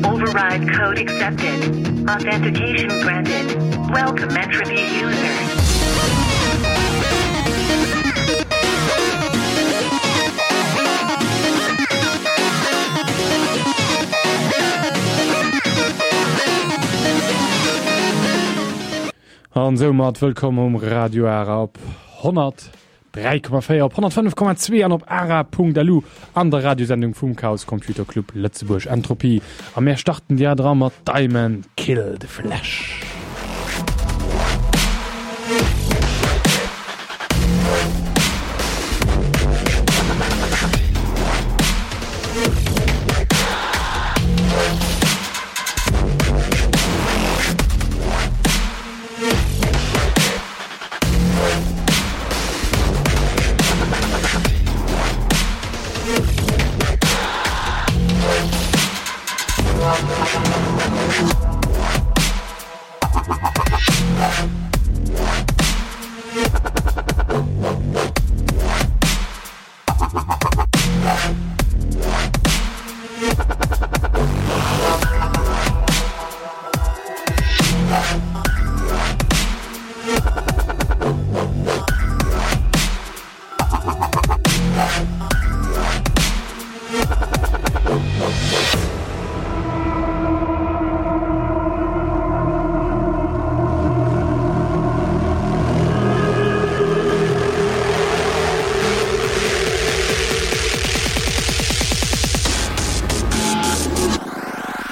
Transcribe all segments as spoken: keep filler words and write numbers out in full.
Override code accepted. Authentication granted. Welcome Entropy user. An soumat wëllkomm um Radio Ara op honnert dräi Komma véier, op honnertfënnef Komma zwee an op ara Punkt L U an der Radiosendung vum Chaos Computer Club Lëtzebuerg Entropie. A mär starten déi dra mat Diamond Kill the Flesh.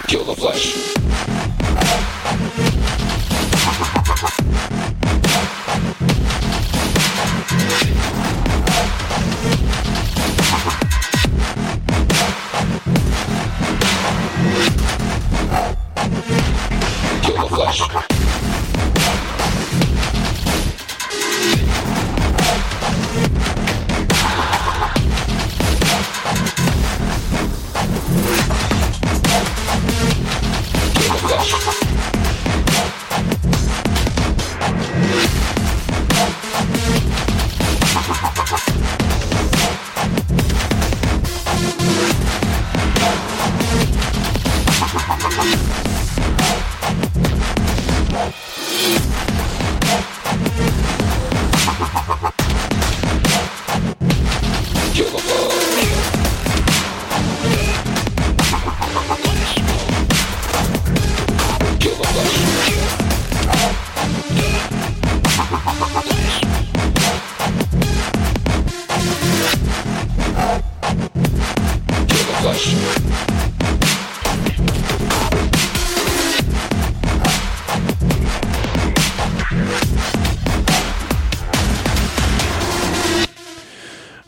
Kill the flesh. Kill the flesh. Kill the flesh. Kill the flesh. Kill the flesh. Kill the flesh.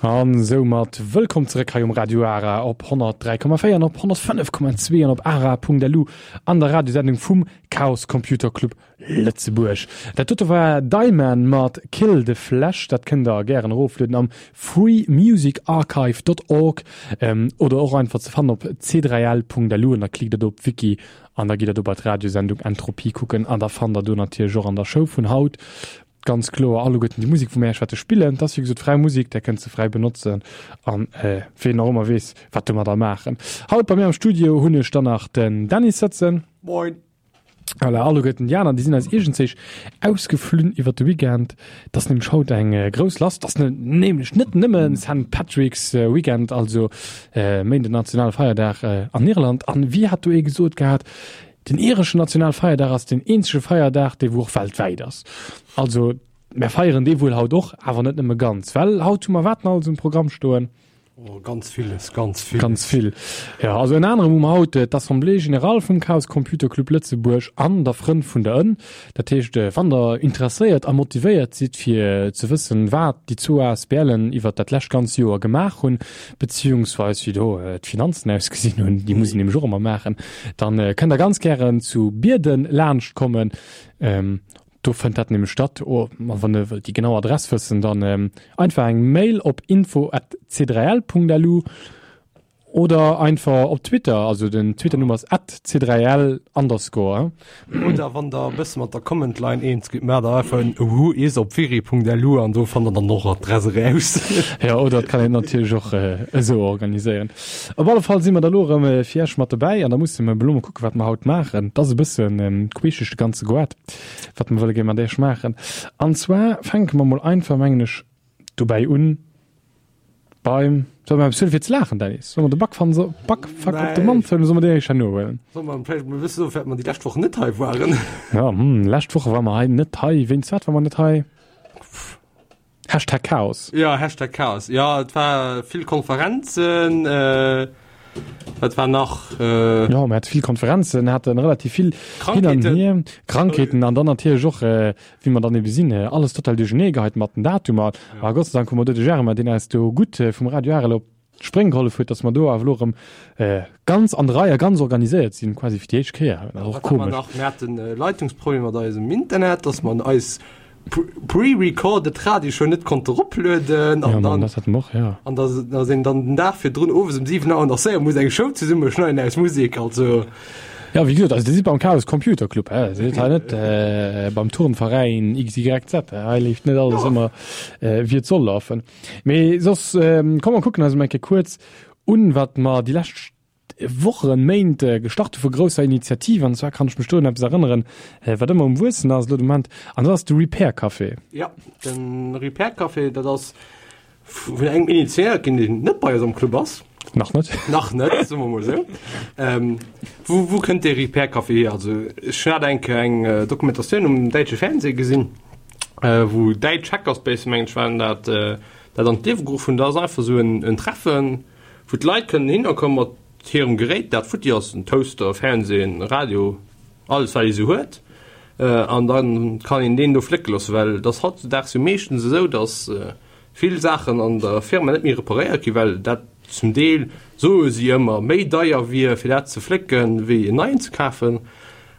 An soumat wëllkomm zeréck hei um Radio Ara op honnertdräi Komma véier an op honnertfënnef Komma zwee an op ara Punkt L U an der Radiosendung vum Chaos Computer Club Lëtzebuerg. Dat dote war Diamond mat Kill the Flesh, dat kënnt der gären eroflueden am freemusicarchive Punkt org ähm, oder och einfach ze fannen op c dräi L Punkt L U an da klickt der do op Wiki an da gitt der do bei d'Radiosendung Entropie kucken an da fannt der do natierlech och an der Show vun haut ganz kloer alleguerten déi Musek wou mir wäerte spillen. Dat ass wéi gesot fräi Musek, där kënnt se fräi benotzen an äh, ween och ëmmer weess wat domadder maachen. Haut bei mir am Studio hunn ech dann nach den Dennis sëtzen. Moin. Voilà, alleguerten déi aner, déi sinn eis iergendzéich ausgeflunn iwwer de Weekend. Dat ass nämlech haut eng äh, grouss Lass. Dat ass ne, nämlech net nëmmen Saint Patrick's äh, Weekend, also äh, Méinden nationale Feierdag äh, an Irland. An wéi hat do ee gesot gehat, den ireschen Nationalfeierdag ass den eenzege Feierdag, dee wou och weltwäit ass. Also mir feieren dee wuel haut och, awer net nëmme ganz, well haut hu mer wat alles um Programm stoen. Oh, ganz villes, ganz vill. Ganz vill. Ja, also ënner anerem hu mer haut äh, d'Assemblée générale vum Chaos Computer Club Lëtzebuerg an der Frënn vun der Ënn. Dat heescht, äh, wann der interesséiert a motivéiert sidd fir ze wëssen, wat déi zwou A S B Len iwwer dat lescht ganz Joer gemaach hunn, beziehungsweise wéi do äh, d'Finanzen ausgesinn hunn, déi muss een nämlech och ëmmer maachen, dann äh, kënnt der ganz gären zu Bierden laanscht kommen. Ähm, do fënnt dat nämlech statt. Oh, ma wann der wëllt déi genau Adress wëssen, dann ähm, einfach eng Mail op info at c dräi L Punkt L U Oder einfach op Twitter, also den Twitter-Nummer ass at C drei L underscore. Oder wann der e bësse mat der Command Line eens gitt, maacht der einfach en who is op wiri punkt lu an do fannt der dann och Adress eraus. Ja, oder et kann een natierlech och esou organiséieren. Op alle Fall si mer da lo erëm fir Iech mat dobäi an da musse mer elo mol kucken, wat mer haut maachen. Et ass e bëssen queescheg de ganze Goart, wat mer wëlle gär mat Iech maachen. An zwar fänke mer mol einfach, mengen ech, dobäi un beim, solle mer eppes huelen fir ze laachen, Dennis? Solle mer de Backfann, Backfuck op de Mond huelen oder solle mer deen éischter herno huelen? Solle mer vläicht mol e bësse soen, firwat mer déi lescht Woch net hei waren? Ja, hm, lescht Woche ware mer hei net hei. Wéinst wat ware mer net hei? Hashtag Chaos. Ja, Hashtag Chaos. Ja, et war vill Konferenzen, äh, wat war nach? Äh, ja, mer hate vill Konferenzen, haten relativ vill hin an Krankheeten. hier, Krankheeten an dann natierlech och, äh, wéi mer dann ebe sinn, äh, alles total duerchernee geheit mat den Datumer. Ja. A Gott sei Dank hu mer do de Germain, deen eis do gutt äh, vum Radio Arel op d'Spréng gehollef huet, dass mer do awer elo erëm äh, ganz an der Rei a ganz organiséiert sinn, quasi fir déi éischt Kéier. Dat ass och Wat hat mer komesch. nach? Mir haten äh, Leitungsproblem mat eisem Internet, dass mer eis pre-recorded Radioshow net konnte eroplueden Ja, an Mann, dann das hatten wir och, ja. an dass, dass een dann den Dag virdrun owes um siwen Auer nach séier muss eng Show zesummeschneiden aus Musek, also. Ja, wéi gesot, also dir sidd beim Chaos Computer Club, hä? Dir sidd hei net äh, beim Turnveräin X Y Z, hä? Hei leeft net alles Ja. ëmmer äh, wéi et soll lafen. Mee soss ähm, komm mer kucken eis emol eng Kéier kuerz un, wat mer déi lescht Wochen, Méint gestart hu vu grousser Initiativ, an zwar kann ech mech do un eppes erënneren, wat ëmmer um Wuessen ass elo de Moment, an dat ass de Repair Café. Jo, de Repair Café, dat ass vun engem initiéiert ginn, deen net bei eis am Club ass. Nach net. Nach net, soe mer mol esou. Wou, wou kënnt dee Repair Café hier? Also ech hat eng Kéier eng Dokumentatioun um däitsche Fernseh gesinn, wou däitsch Hackerspace, mengen ech, waren dat, dat an d'Liewe geruff hunn. Dat ass einfach esou en Treffen, wou d'Leit kënnen hinnerkomme mat hirem Gerät, dat futti ass, en Toaster, Fernseh, en Radio, alles wat ee sou huet, an da kann een deen do flécke loossen, well et ass hautzedaags jo meeschtens esou, datt vill Saachen an der Firma net méi reparéiert ginn, well dat zum Deel, soe si ëmmer, méi deier wier fir dat ze flécken, wéi en neien ze kafen.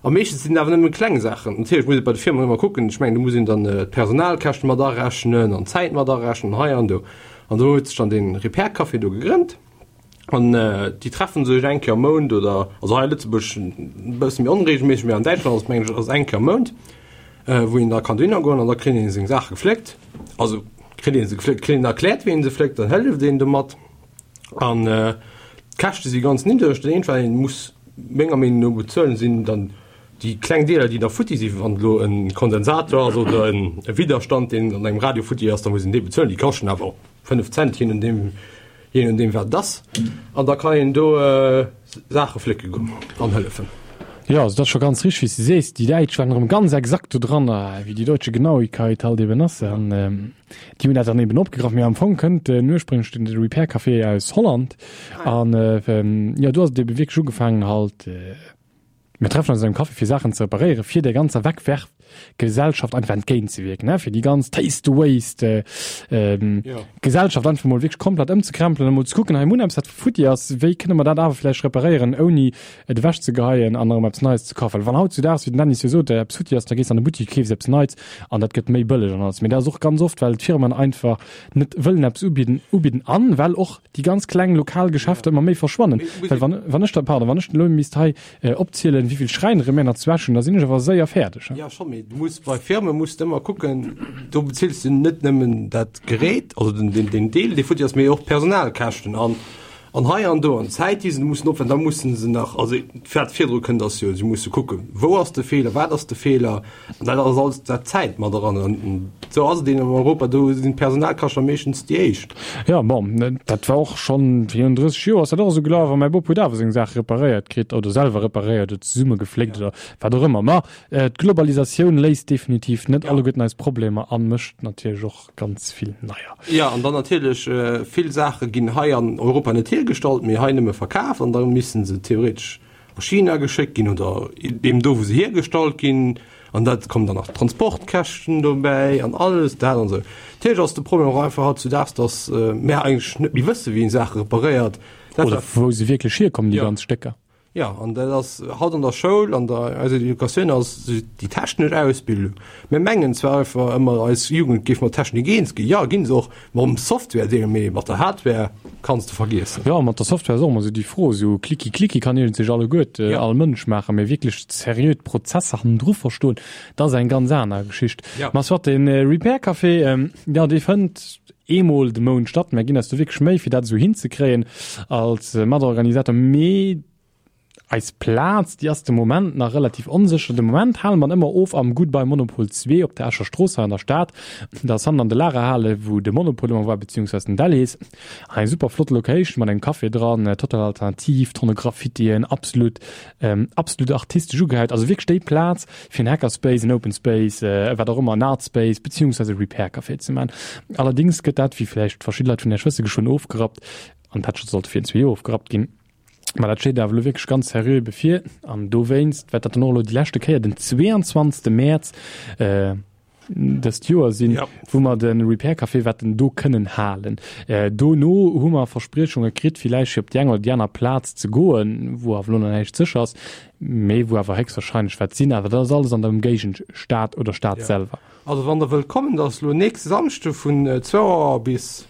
A meeschtens sinn et awer nëmme kleng Saachen. Natierlech muss ee bei de Firmen ëmmer kucken, ech mengen do muss een dann d'Personalkäschte mat arechnen an d'Zäit mat arechnen an hei an do. An do huet sech dann dee Repair Café do gegrënnt. An déi treffen sech eng Kéier am Mount oder, also hei a Lëtzebuerg e bësse méi onreegelméisseg, mee an Däitschland ass et mengen ech ass eng Kéier am Mount, wou een da kann dohinner goen an da kritt een seng Saache gefléckt. Also kritt ee se gefléckt, kritt een erkläert wéi een se fléckt, dann hëlleft een domat. An d'Käschte si ganz niddreg. Dat eenzegt wat een muss menger Meenung no bezuelen, sinn dann déi kleng Deeler déi da futti sinn. Wann elo e Kondensator ass oder e Widderstand deen an engem Radio futti ass, da muss een dee bezuelen. Déi kaschten awer och fënnef Cent, je nodeem. Je nodeem wat et ass. An da kann een do Saache flécke goen an hëllefen. Jo, also dat ass scho ganz richteg, wéi s de sees. Déi Däitsch waren erëm ganz exakt do dran, wéi die deutsche Genauigkeit halt eben ass. An déi hunn dat dann eben opgegraff. Mee am Fong kënnt den ursprünglech den Repair Café aus Holland. An jo, do ass et ebe wierklech ugefaangen halt, Mir treffen eis an engem Café fir Saachen ze reparéieren, fir där ganzer Wegwerfgesellschaft einfach entgéintzewierken, ne, fir déi ganz Taste the Waste Gesellschaft einfach mol wierklech komplett ëmzekrempelen a mol ze kucken, hei mir hunn eppes wat futti ass, wéi kënne mer dat awer vläicht reparéieren ouni et ewechzegeheien an erëm eppes Neies ze kafen. Well wann hautzudaags, wéi den Dennis jo sot, eppes futti ass, da gees de an de Buttik, keefs eppes Neits an dat gëtt méi bëlleg an alles. Mee dat ass och ganz oft, well d'Firmen einfach net wëllen eppes ubidden ubidden an well och déi ganz kleng lokal Geschäfter ëmmer méi verschwannen. Well wann wann ech da, pardon, wann ech elo misst hei opzielen, wéi vill Schräinere mir nach zu Esch hunn, da sinn ech awer séier fäerdeg. Jo, scho, mee du muss bei Firme muss de ëmmer kucken, do bezills du net nëmmen dat Gerät, also den, den, den Deel, dee futti ass, mee och d'Personalkäschten an, an hei an do an d'Zäit, déi se mussen opwenden. Da mussen se nach, also wat virdru kënnt, ass jo, si musse kucken, wou ass de Feeler, wat ass de Feeler, an dat ass alles dat Zäit mat eran. An esou ass et eben an Europa, do sinn d'Personalkäschte meeschtens déi éischt. Jo, bon, dat war och schonn virun drësseg Joer ass dat och esou gelaf a mäi Bop huet awer seng Saache reparéiert kritt oder selwer reparéiert oder zesummegefléckt oder wat och ëmmer. Ma d'Globalisatioun léist definitiv net alleguerten eis Problemer a mécht natierlech och ganz vill neier. Jo, an dann natierlech, vill Saache ginn hei an Europa net hiergestallt, mee hei nëmme verkaf an da missten se theoretesch a China geschéckt ginn oder eben do, wou se hiergestallt ginn. An dat kommen dann nach d'Transportkäschten dobäi an alles dat an esou. Natierlech ass de Problem och einfach hautzudaags, datt mär eigentlech net méi wësse wéi een Saache reparéiert. Dat Oder wou se wierklech hierkommen, déi ganz Stécker. Ja, an dat ass haut an der Schoul, an der eiser Educatioun ass déi technesch Ausbildung. Mir mengen zwar einfach ëmmer, eis Jugend géif mat Technik eens ginn. Jo, ginn se och, mam Software-Deel, mee mat der Hardware kanns de vergiessen. Jo, mat der Software ass och ëmmer esou déi Fro. Esou Klicki Klicki kann iergendsech alleguert, Ja. all Mënsch maachen, mee wierklech seriö d'Prozesser hannendru verstoen, dat ass eng ganz aner Geschicht. Ja. Ma soit, de Repair Café, jo, dee fënnt eemol de Mount statt. Mir ginn eis do wierklech Méi, fir dat esou hinzekréien als Matorganisator, mee eis Plaz, déi ass de Moment nach relativ onsécher. De Moment hale mer ëmmer of am Goodbye Monopol zwee op der Escher Strooss hei an der Stad. Dat ass hannen an de Lagerhale, wou de Monopol ëmmer war, beziehungsweise den Delhaize. Eng super flott Location mat engem Café dran, total alternativ, Tonne Graffitien, absolut, absolut artistesch ugehäit. Also wierklech déi Plaz fir en Hackerspace, en Open Space, wat och ëmmer, en Art Space, beziehungsweise e Repair Café ze maachen. Allerdéngs gëtt dat, wéi vläicht verschidde Leit vun Iech wësse, geschwënn ofgerappt. An dat scho sollt virun zwee Joer ofgerappt ginn. Mä dat steet awer elo wierklech ganz seriö bevir an dowéinst wäert dat dann och elo déi leschte Kéier den zweeanzwanzegste Mäerz dëst Joer sinn, Ja. wou mer de Repair Café wäerten do kënnen halen. Dono hu mer Verspriechunge kritt, villäicht fir op déi eng oder déi aner Plaz ze goen, wou awer elo nach näischt sécher ass, mee wou awer héchstwahrscheinlech wäert sinn. Awer dat ass alles an der Ëmgéigend Stad oder Stad Ja. selwer. Also wann der wëllt kommen, dat ass elo nächste Samschde vun zwou Auer bis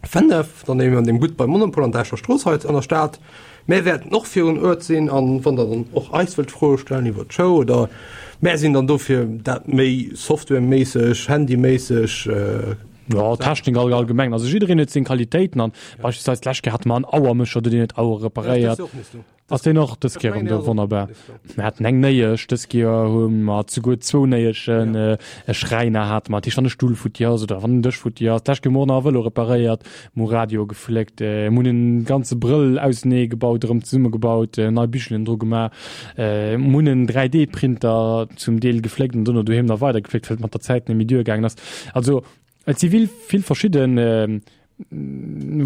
fënnef, dann eben an dem Goodbye Monopol an der Escher Strooss hei an der Stad. Mär wäerten och virun Uert sinn an wann der dann och eis wëllt Froe stellen iwwer d'Show oder mär sinn dann do fir dat méi softwareméisseg, handyméisseg. Jo, Technik all allgemeng. Also jiddereen huet seng Qualitéiten an beispillsweis d'lescht Kéier hate mer en Auermécher do, deen huet Auere reparéiert. Ass deen och dës Kéier erëm do? Wonnerbar. Mir haten eng Néiesch, dës Kéier hu mer souguer zwou Néieschen, e Schräiner hate mer, dat heescht wann e Stull futti ass oder wann en Dësch futti ass. D'lescht Kéier hu mer och nach e Vëlo reparéiert, mer hu Radio gefléckt, mer hunn en ganze Brëll ausenee gebaut, erëm zesummegebaut, nei Bichelen dru gemaach, mer hunn en dräi D Printer zum Deel gefléckt an dono doheem nach weider gefléckt, well et mat der Zäit net méi duergaangen ass. Also et si vill, vill verschidden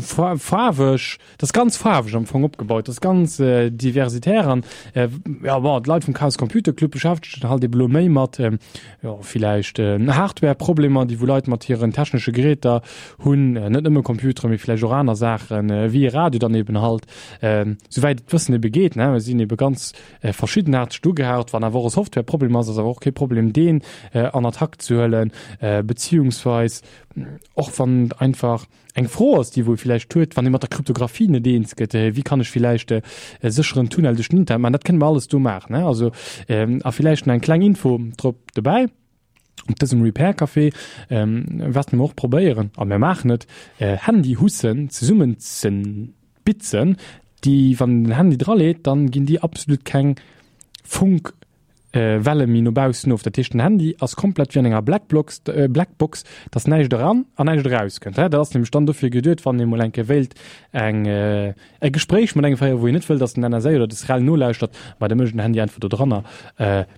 faarweg, dat ass ganz faarweg am Fong opgebaut, dat ass ganz diversitär an jo bon, d'Leit vum Chaos Computer Club beschäftegen sech halt ebe lo méi mat jo villäicht Hardware-Problemer, déi wou Leit mat hiren technesche Geräter hunn, net nëmme Computeren, mee villäicht och aner Saachen, wéi e Radio dann eben halt, souwäit et d'Wëssen ebe geet, ne. Mir sinn ebe ganz verschiddenaarteg ugehaut. Wann awer och e Software-Problem ass, ass awer och kee Problem deen an Attack ze huelen, beziehungsweis och wann et einfach eng Fro ass, déi wou ee villäicht huet, wann ee mat der Kryptographie net eens gëtt, wéi kann ech villäicht e sécheren Tunnel duerch den Internet maachen, dat kënne mer alles do maachen. Also a villäicht nach eng kleng Info drop dobäi, Op dësem Repair Café wäerte mer och probéieren, a mir maachen et, Handyhussen zesummen ze bitzen, déi, wann een den Handy draleet, dann ginn déi absolut keng Funk Welle méi no baussen of. Dat heescht, den Handy ass komplett wéi an enger Blackbox, Blackbox, dass näischt eran an näischt eraus kënnt. Dat ass nämlech dann dofir geduet, wann ee mol eng Kéier wéilt eng e Gespréich mat engem féieren, wou een net wëll, dass den N S A oder de SREL nolauschtert, ma da mécht een den Handy einfach do dranner,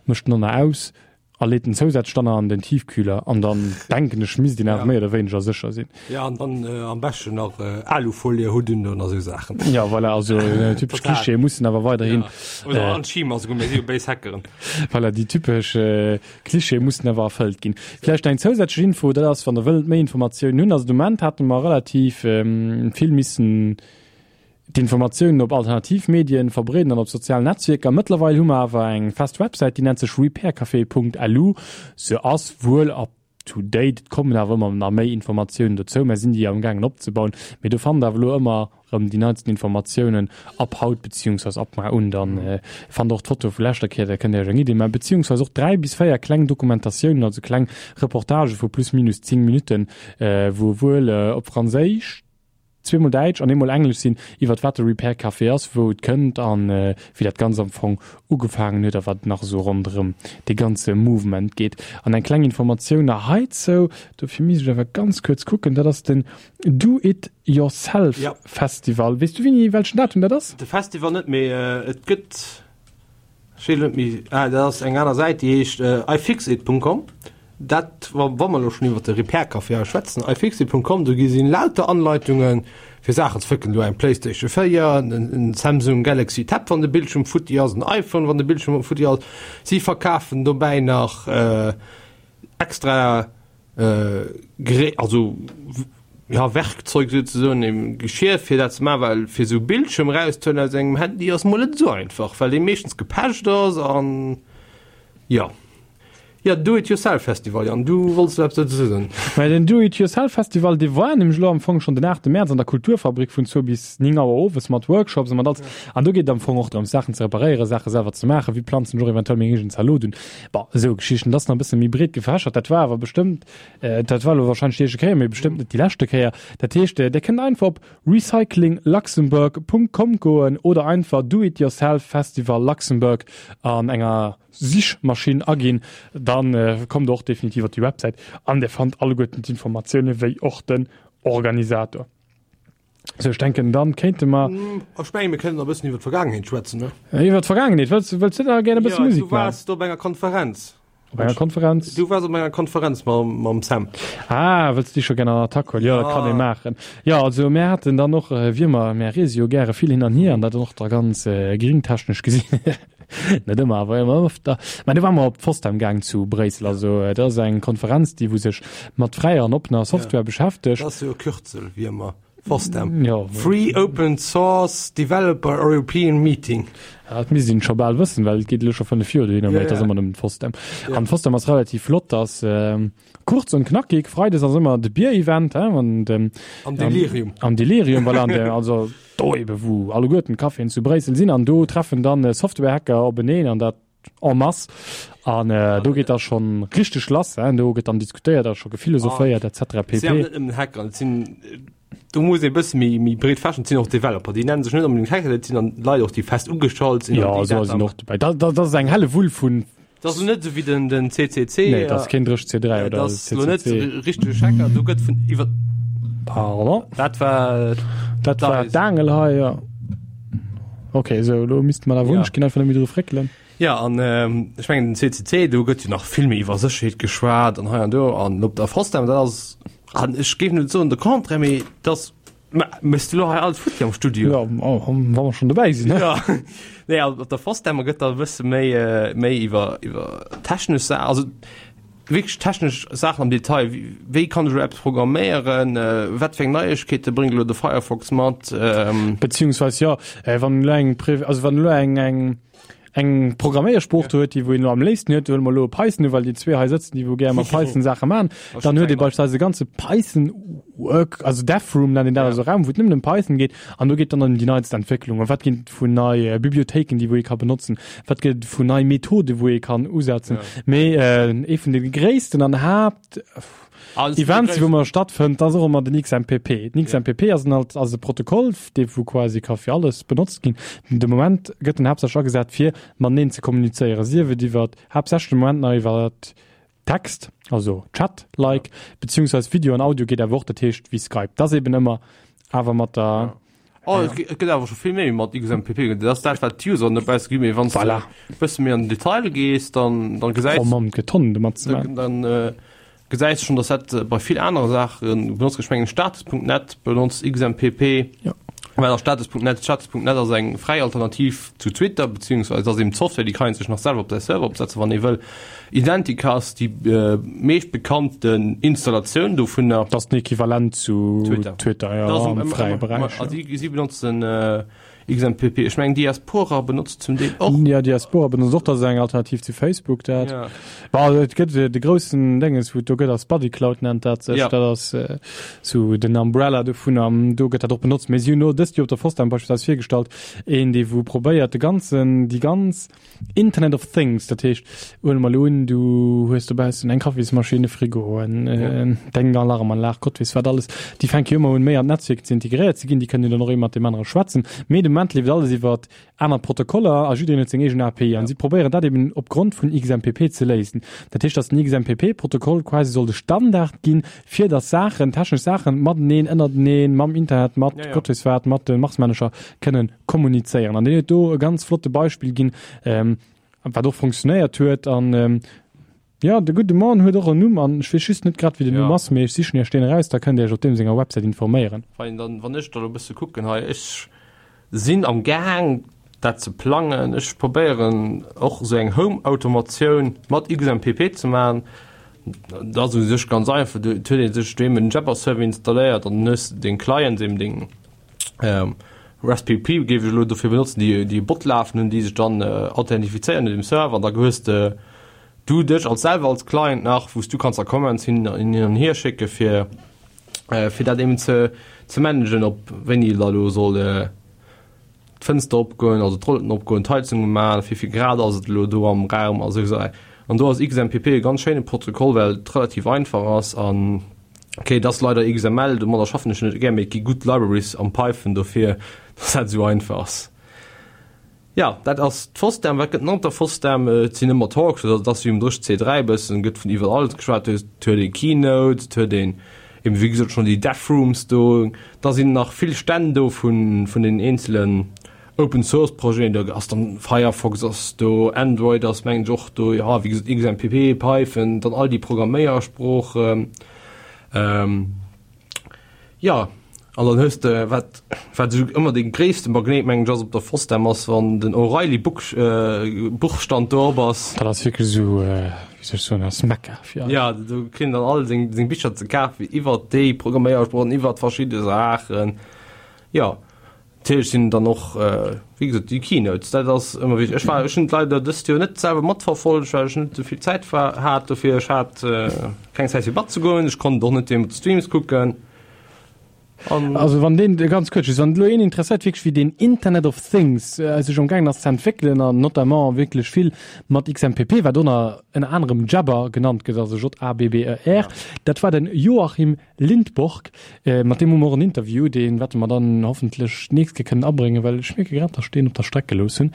mécht den Donner aus a leet en zousätzlech dann an den Tiefkühler an dann denken ech misst een awer méi oder wéineger sécher sinn. Ja, an dann am beschten nach Alufolie hudden an esou Saachen. Ja, voilà, also typesch Klischeeë mussen awer weiderhin. Ja, oder an d'Schima, souguer mir si jo béis Hackeren. Voilà, déi typesch Klischeeë mussen awer erfëllt ginn. Vläicht nach eng zousätzlech Info, dat ass, wann der wëllt méi Informatiounen hunn, also de Moment hate mer relativ vill missen d'Informatiounen op alternativ Medien verbreeden an op sozialen Netzwierker. Mëttlerweil hu mer awer eng fest Websäit, déi nennt sech repaircafé punkt lu. Se ass wuel up to date, et kommen awer ëmmer nach méi Informatiounen dozou, mer sinn déi amgaangen opzebauen. Mee do fannt der awer elo ëmmer erëm déi neitsten Informatiounen ab haut beziehungsweis ab mar un. Dann fannt der och d'Foto vu leschter Kéier, da kënnt der iech eng Idee maachen. Beziehungsweis och dräi bis véier kleng Dokumentatiounen, also kleng Reportagë vu plus minus zéng Minutten, wou wuel op Franséisch, zweemol Däitsch an eemol Englesch sinn, iwwert wat de Repair Café ass, wou et kënnt an wéi dat Ganzt am Fong ugefaangen huet a wat nach esou ronderëm dee ganze Mouvement geet. An eng kleng Informatioun nach heizou, dofir misst ech awer ganz kuerz kucken, dat ass den Do It Yourself Festival. Weess du wéini, welchen Datum dat ass? De Festival net, mee et gëtt, ech weess elo net méi, ah dat ass eng aner Säit, déi heescht ifixit punkt com. Dat, wa mer elo schonn iwwer de Repair Café hei schwätzen, ifixit punkt com, do gi sinn lauter Anleitungen, fir Saachen ze flécken. Do eng PlayStation véier, en Samsung Galaxy Tab, wann de Bildschirm futti ass, en iPhone, wann de Bildschirm futti ass. Si verkafen dobäi nach extra Gerä-, also ja, Werkzeug souzesoen, eben Geschir fir dat ze maachen, well fir sou Bildschirm erauszehuelen aus engem Handy ass mol net esou einfach, well dee meeschtens gepecht ass an ja. Ja, Do It Yourself Festival, Jan, du wollts do eppes dozou soen. Mä den Do It Yourself Festival, dee war nämlech elo am Fong schonn den aachte Mäerz an der Kulturfabrik vun zwou bis néng Auer owes mat Workshops a mat alles. An do geet et am Fong och drëms, Saachen ze reparéieren, Saache selwer ze maachen, wéi planzen ech och eventuell meng eegen Zalot un. Bon, esou Geschichten. Dat ass nach e bësse méi breet gefächert. Dat war awer bestëmmt, dat war elo warscheinlech déi éischte Kéier, mee bestëmmt net déi leschte Kéier. Dat heescht, Dir kënnt einfach op recyclingluxembourg Punkt com goen oder einfach Do It Yourself Festival Luxembourg an enger Sichmaschinn aginn, dann kommt der och definitiv op déi Websäit an Dir fannt alleguerten d'Informatioune wéi och den Organisator. Sou, ech denken, dann kéinte mer. Ech mengen, mir kënnen nach e bëssen iwwer d'Vergaangenheet schwätzen, ne? Iwwer d'Vergaangenheet? Wëlls, wëlls du da gär e bësse Musek maachen? Du waars do op enger Konferenz. Op enger Konferenz? Du waars op enger Konferenz mam, mam Sam. Ah, wëlls du déi scho gär an Attack huelen? Jo, dat kann ee maachen. Jo, also mär haten dann och, wéi ëmmer, mär reese jo gäre vill hin an hier an dat och da ganz gringtechnesch gesinn. Net ëmmer, awer ëmmer öfter. Mä du war mer op d'FOSDEM gaang zu Bréissel. Also dat ass eng Konferenz, déi wou sech mat fräier an oppener Software beschäftegt. Dat ass jo e Kürzel, wéi ëmmer. FOSDEM. Jo. Free Open Source Developer European Meeting. Ja, dat misst een scho bal wëssen, well et geet elo scho fënnef Joer dohinner, mä et ass ëmmer nëmmen d'FOSDEM. An d'FOSDEM ass relativ flott, ass kurz und knackig. Freides ass ëmmer de Bier-Event, hein, an dem. Am Delirium. Am Delirium, voilà, an der, also do ebe wou alleguerten d'Caféen zu Bréissel sinn an do treffen dann Software-Hacker openeen an dat en masse an do geet da schonn richteg lass, hein, do gëtt dann diskutéiert a scho gephilosophéiert et cetera pp. Et sinn awer net nëmmen Hacker, et sinn, do muss ee bësse méi, méi breet fächeren, et sinn och Developer, déi nennen sech net onbedéngt Hacker, dat sinn dann Leit och, déi fest ugestallt sinn. Jo, esou sinn och dobäi. Dat, dat ass eng Hellewull vun. Dat ass net esou wéi den, den C C C. Nee, dat ass keen Dréch C dräi oder C C C. Dat ass lo net richteg Hacker, do gëtt vun iwwer. Pardon. Dat war. Dat war d'Aangel hei, jo. Ok, esou, elo misste mer awer wunnesch ginn, einfach net méi dru fréckelen. Jo, an ech mengen den C C C, do gëtt jo nach vill méi iwwer Sécherheet geschwat an hei an do an op der FOSDEM, dat ass, an ech géif net soen de Contraire, mee dat ass, mä méchs du elo hei alles futti am Studio? Jo, wa mer schonn dobäi sinn, ne? Jo, nee, op der FOSDEM gëtt da e bësse méi, méi iwwer, iwwer technesch Saachen, also wierklech technesch Saachen am Detail, wéi kann ech elo eppes programméieren, wat fir eng Neiegkeete bréngt elo de Firefox mat. Beziehungsweis jo, wann elo eng, also wann elo eng, eng, eng Programméiersprooch do huet, déi wou een elo am léifsten huet, huele mer elo Python, well déi zwee hei sëtzen, déi wou gär mat Python Saache maachen, dann huet ee beispillsweis e ganze Python Work, also Dev Room nennt een dat, also Raum, wou et nëmmen ëm Python geet an do geet dann ëm déi neitst Entwécklungen, wat ginn et vun nei Bibliothéiken, déi wou ee ka benotzen, wat gëtt et vun nei Methode wou ee kann usetzen. Mee ee vun de gréissten an Haapt Events, wou mer stattfënnt, ass och ëmmer den X M P P. Den X M P P ass en ass e Protokoll, dee wou quasi ka fir alles benotzt ginn. De Moment gëtt en haaptsächlech agesat fir mateneen ze kommunizéieren, sief et iwwer haaptsächlech de Moment nach iwwer Text, also Chat-like, beziehungsweise Video an Audio geet awer och, dat heescht wéi Skype. Dat ass eben ëmmer awer mat der. Oh, et gëtt awer scho vill méi mat X M P P. Dat ass dat, wat d'User net besser ginn, mee wann s de Voilà. e bësse méi an den Detail gees, dann, dann gesäis Oh Mann, et gëtt Tonnen domat ze maachen. dann, dann gesäis schonn, dass dat bei vill anere Saache benotzt gëtt. Ech mengen, Status Punkt net benotzt X M P P. Ja. Well ass Status Punkt net? Status Punkt net ass eng fräi Alternativ zu Twitter, beziehungsweise ass eben d'Software, déi kann een sech nach selwer op säi Server opsetzen, wann ee wëll. Identicast, déi meescht bekannten Installatioun dovunner. Dat ass den Equivalent zu Twitter, Twitter, ja, am fräie Beräich. Also si benotzen X M P P. Ech mengen Diaspora benotzt zum Deel och. Ja, Diaspora benotzt och, dat ass eng Alternativ zu Facebook dat. Ja. Bon, et gëtt de groussen Dénges, wou et do gëtt, ass Buddycloud nennt dat sech. Ja. Dat ass sou den Umbrella dovun an do gëtt dat och benotzt. Mee si hunn elo dëst Joer op der FOSDEM beispillsweis virgestallt, een dee wou probéiert de ganzen, déi ganz Internet of Things, dat heescht, huele mer elo un, du hues dobaussen eng Kaffismaschinn, e Frigo, en deng Alarmanlag, Gott weess wat alles, déi fänke jo ëmmer un méi an d'Netzwierk ze integréiert ze ginn, déi kënnen jo dann och ee mat deem anere schwätzen, mee de Moment leeft alles iwwer aner Protokoller a jiddereen huet seng eegen A P I an si probéieren dat eben opgrond vun X M P P ze léisen. Dat heescht, datt den X M P P-Protokoll quasi soll de Standard ginn, fir datt Saachen, technesch Saachen mateneen, ënnerteneen, mam Internet, mat Gott weess wat, mat de Marsmännercher kënnen kommunizéieren. An deen huet do e ganz flotte Beispill ginn, wat och funktionéiert huet. An jo, de gudde Mann huet och en Numm an ech weess just net grad, wéi den Numm ass, mee ech sichen Iech deen eraus, da kënnt Dir Iech op deem senger Websäit informéieren. Wann dann, wann ech da lo e bësse kucken hei, ech sinn am Gaang dat ze plangen, ech probéieren och esou eng Home-Automatioun mat X M P P ze maachen. Dat ass u sech ganz einfach, do huet ee sech do eben en Jabber-Server installéiert an dann hues de deng Clients, eben deng Raspberry Pi géif ech elo dofir benotzen, déi déi e Bot lafen hunn, déi sech dann authentifizéieren un dem Server an da hues de du dech als selwer als Client nach, wou s du kanns da Commands hin an hier schécke fir fir dat eben ze ze managen, ob wéini da lo soll d'Fënster opgoen, also d'Rollen opgoen, d'Heizung umachen, wéi vill Grad ass et elo do am Raum a sou Saachen. An do ass X M P P e ganz schéine Protokoll, well et relativ einfach ass an okay, et ass leider X M L, domadder schaffen ech net gär, mee et gi gutt Libraries am Python dofir, dass dat esou einfach ass. Jo, dat ass d'FOSDEM. Wat gëtt nach op der FOSDEM? Et sinn ëmmer Talks, also et ass wéi um dräi C dräi bëssen, gëtt vun iwwerall alles geschwat. Et huet ee Keynotes, et huet een eben wéi gesot schonn déi Dev Rooms do, da sinn nach vill Stänn do vun vun den eenzelen Open Source Projeten, do ass dann Firefox ass do, Android ass mengen ech och do, jo wéi gesot X M P P, Python, dann all déi Programméiersproochen. Ähm, jo, an dann hues de wat wat esou ëmmer dee gréisste Magnéit mengen ech ass op der FOSDEM ass wann den O'Reilly Book äh, Buchstand do op ass. Dat ass wierklech esou, äh, wéi soll ech soen, ass Mekka fir eis. Ja, do kritt een dann all seng seng Bicher ze kafen iwwert déi Programméiersproochen, iwwert verschidde Saachen. Jo. Natierlech sinn dann och, wéi gesot, déi Keynotes, dat ass ëmmer wichteg. Ech war, ech hunn et leider dëst Joer net selwer matverfollegt, well ech net esou vill Zäit war, hat dofir. Ech hat keng Zäit fir matzegoen, ech konnt och net deemools d'Streams kucken. An. Also wann deen, ganz kuerz just, wann elo een interesséiert wierklech wéi deen Internet of Things sech amgaangen ass ze entwéckelen an notamment wierklech vill mat X M P P, wat ënner ënner anerem Jabber genannt gëtt, also J A B B E R, dat war den Joachim Lindborg, mat deem hu mer och en Interview, dee wäerte mer dann hoffentlech d'nächst Kéier kënnen abréngen, well ech mierke grad, dass ech deen op der Streck gelooss hunn.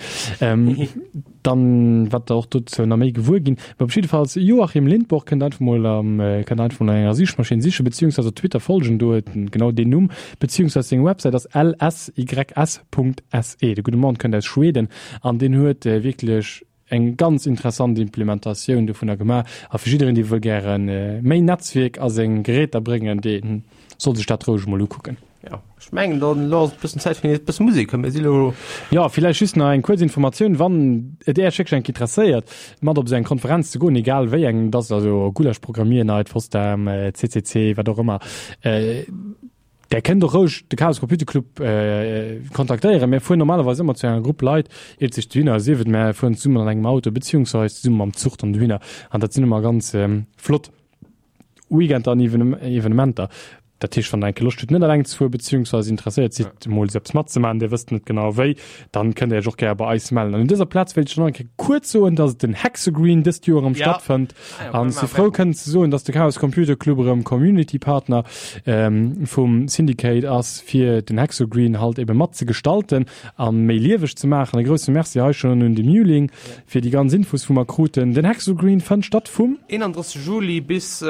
Dann wäert Der och dozou nach méi gewuer ginn. Mä op jiddefalls, Joachim Lindborg kënnt einfach mol am, kënnt einfach mol an enger Sichmaschinn sichen, beziehungsweise op Twitter folgen, do huet en genau deen Numm, beziehungsweise seng Websäit ass l s y s Punkt s e. De gudde Mann kënnt aus Schweden an deen huet wierklech eng ganz interessant Implementatioun dovunner gemaach a fir jiddereen, dee wëll gäre méi Netzwierk a seng Geräter bréngen, dee soll sech dat roueg emol ukucken. Jo, ech mengen dann elo ass et bëssen Zäit fir nees bësse Musek, mir si lo. Jo, villäicht just nach eng kuerz Informatioun, wann et Äech wierklech enk interesséiert, mat op esou eng Konferenz ze goen, egal wéi eng et ass, also Gulasch Programmiernight, FOSDEM, C C C, wat och ëmmer, Där kënnt och roueg de Chaos Computer Club kontaktéieren. Mir fueren normalerweis ëmmer zu enger Grupp Leit, iert sech dohinner, sief et mär fueren zesummen an engem Auto beziehungsweis zesumme mam Zuch dann dohinner. An dat sinn ëmmer ganz flott Weekender an Evenementer. Dat heescht, wann der eng Kéier Loscht hutt net eleng ze fueren, beziehungsweise interesséiert sidd emol esou eppes matzemaachen, dir wësst net genau wéi, dann kënnt der iech och gär bei eis mellen. An un dëser Plaz wéilt ech dann och eng Kéier kuerz soen, dass et den Hexagreen dëst Joer erëm stattfënnt. An si frou kënnen ze soen, dass de Chaos Computer Club erëm Community Partner vum Syndicate ass, fir den Hexagreen halt ebe mat ze gestalten a méi lieweg ze maachen. E grousse Merci hei schonn un de Muling fir déi ganz Infos wou mer kruten. Den Hexagreen fënnt statt vum. eenanddrësseg Juli bis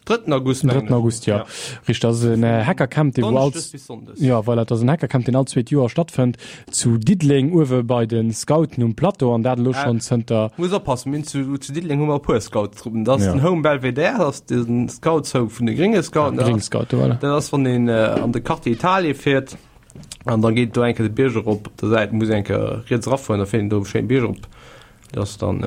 drëtten August, mengen ech. Drëtten August, jo. Richteg, dat ass en Hackercamp, dee wou all. Donneschdes bis Sonndes. Jo, voilà, dat ass en Hackercamp, deen all zweet Joer stattfënnt, zu Diddeleng, uewe bei de Scouten um Plateau, an dat elo schonn zënter. Muss oppassen, mir hunn zu, zu Diddeleng hu mer e puer Scoutstruppen. Dat ass den Home Belvedere, dat ass de Scoutshome vun de grénge Scouten. Gréng Scouten, voilà. Dat ass, wann een an de Quartier Italie fiert, an da geet do eng Kéier de Bierg erop, op der Säit, muss een eng Kéier riets erafueren, da fiert een do e schéine Bierg erop. Dat ass dann.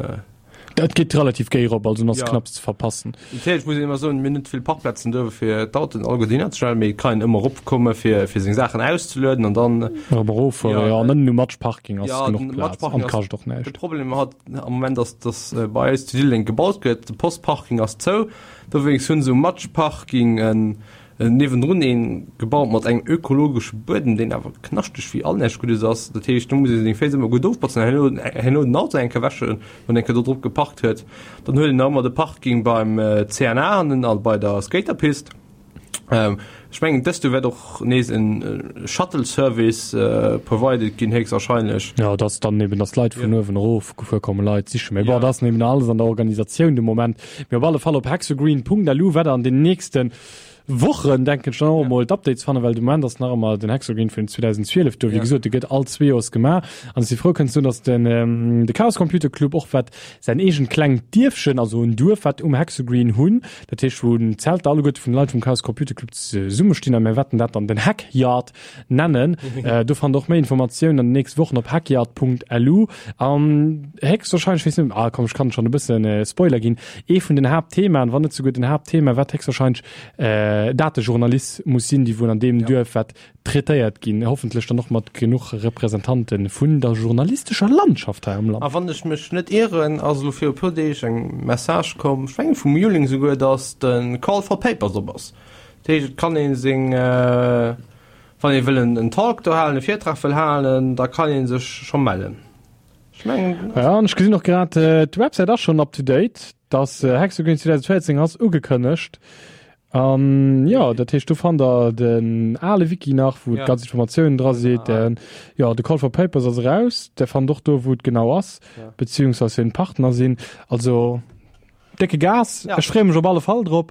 Dat geet relativ géi erop, also ass Ja. knapps ze verpassen. Natierlech muss een ëmmer soen, mir hunn net vill Parkplazen do fir d'Autoen alleguer dohinner ze stellen, mee et kann een ëmmer eropkomme fir fir seng Saachen auszelueden an dann Erëm eroffueren, Ja. jo, an ënnen um Matschparking ass Ja, genuch den Plaz an Matschparking ass kascht och de näischt. Problem hat am Moment ass, dass bei eis zu Diddeleng gebaut gëtt, de Postparking ass zou, dowéinst hunn se um Matschparking en niewendrun een gebaut mat engem ökologesche Buedem, deen awer knaschteg wéi all näischt Guddes ass. Dat heescht, do muss ee seng Féiss ëmmer gutt ofbotzen an herno, herno den Auto eng Kéier wäschen, wann een eng Kéier do drop geparkt huet. Dann huet een nach ëmmer de Parking beim C N A hannen a bei der Skaterpist. Ech mengen, dëst Joer wäert och nees en Shuttle-Service provided ginn, héchstwahrscheinlech. Jo, et ass dann eben, dass d'Leit vun uewen erof gefuer kommen, Leit sichen. Mee bon, dat ass eben alles an der Organisatioun de Moment. Mee op alle Fall op hexagreen Punkt lu wäert der an den nächsten Wochen, denken ech, dann och emol d'Updates fannen, well de Moment ass nach ëmmer den Hexagreen vun zweedausendzwielef do. Wéi gesot, dee gëtt all zwee Joers gemaach. An ech si frou kënnen ze soen, dass den de Chaos Computer Club och wat säin eegent klengt Dierfchen, also en Duerf wat um Hexagreen hunn, dat heescht wou d'Zelter alleguerte vun de Leit vum Chaos Computer Club zesummestinn a mir wäerten dat dann den Hackyard nennen. Do fannt der och méi Informatiounen an den nächste Wochen op hackyard Punkt lu. An héchstwahrscheinlech, weess net, ah komm ech kann schonn e bëssen Spoiler ginn, ee vun den Haaptthemaen, wann net souguer den Haaptthema, wat héchstwahrscheinlech Datejournalismus sinn, déi wuel an deem Duerf wat traitéiert ginn, hoffentlech dann och mat genuch Representante vun der journalistescher Landschaft hei am Land. A wann ech mech net ieren, ass elo viru puer Deeg eng Message komm, ech mengen vum Juling souguer, dass de Call for Papers op ass. Dat heescht, et kann ee seng, wann ee wëll en Talk do halen, e Virtrag wëll halen, da kann ee sech scho mellen. Ech mengen. Ja, an ech gesinn och grad, d'Websäit ass schonn up to date, dass Hexagreen zweedausendvéierzéng ass ugekënnegt. An jo, dat heescht, do fannt der den ale Wiki nach, wou d'ganz Informatiounen dra sinn. Jo, de Call for Papers ass eraus. Der fannt och do, wou et genau ass, beziehungsweise wien d'Partner sinn. Also décke Gas. Ech freeë mech op alle Fall drop.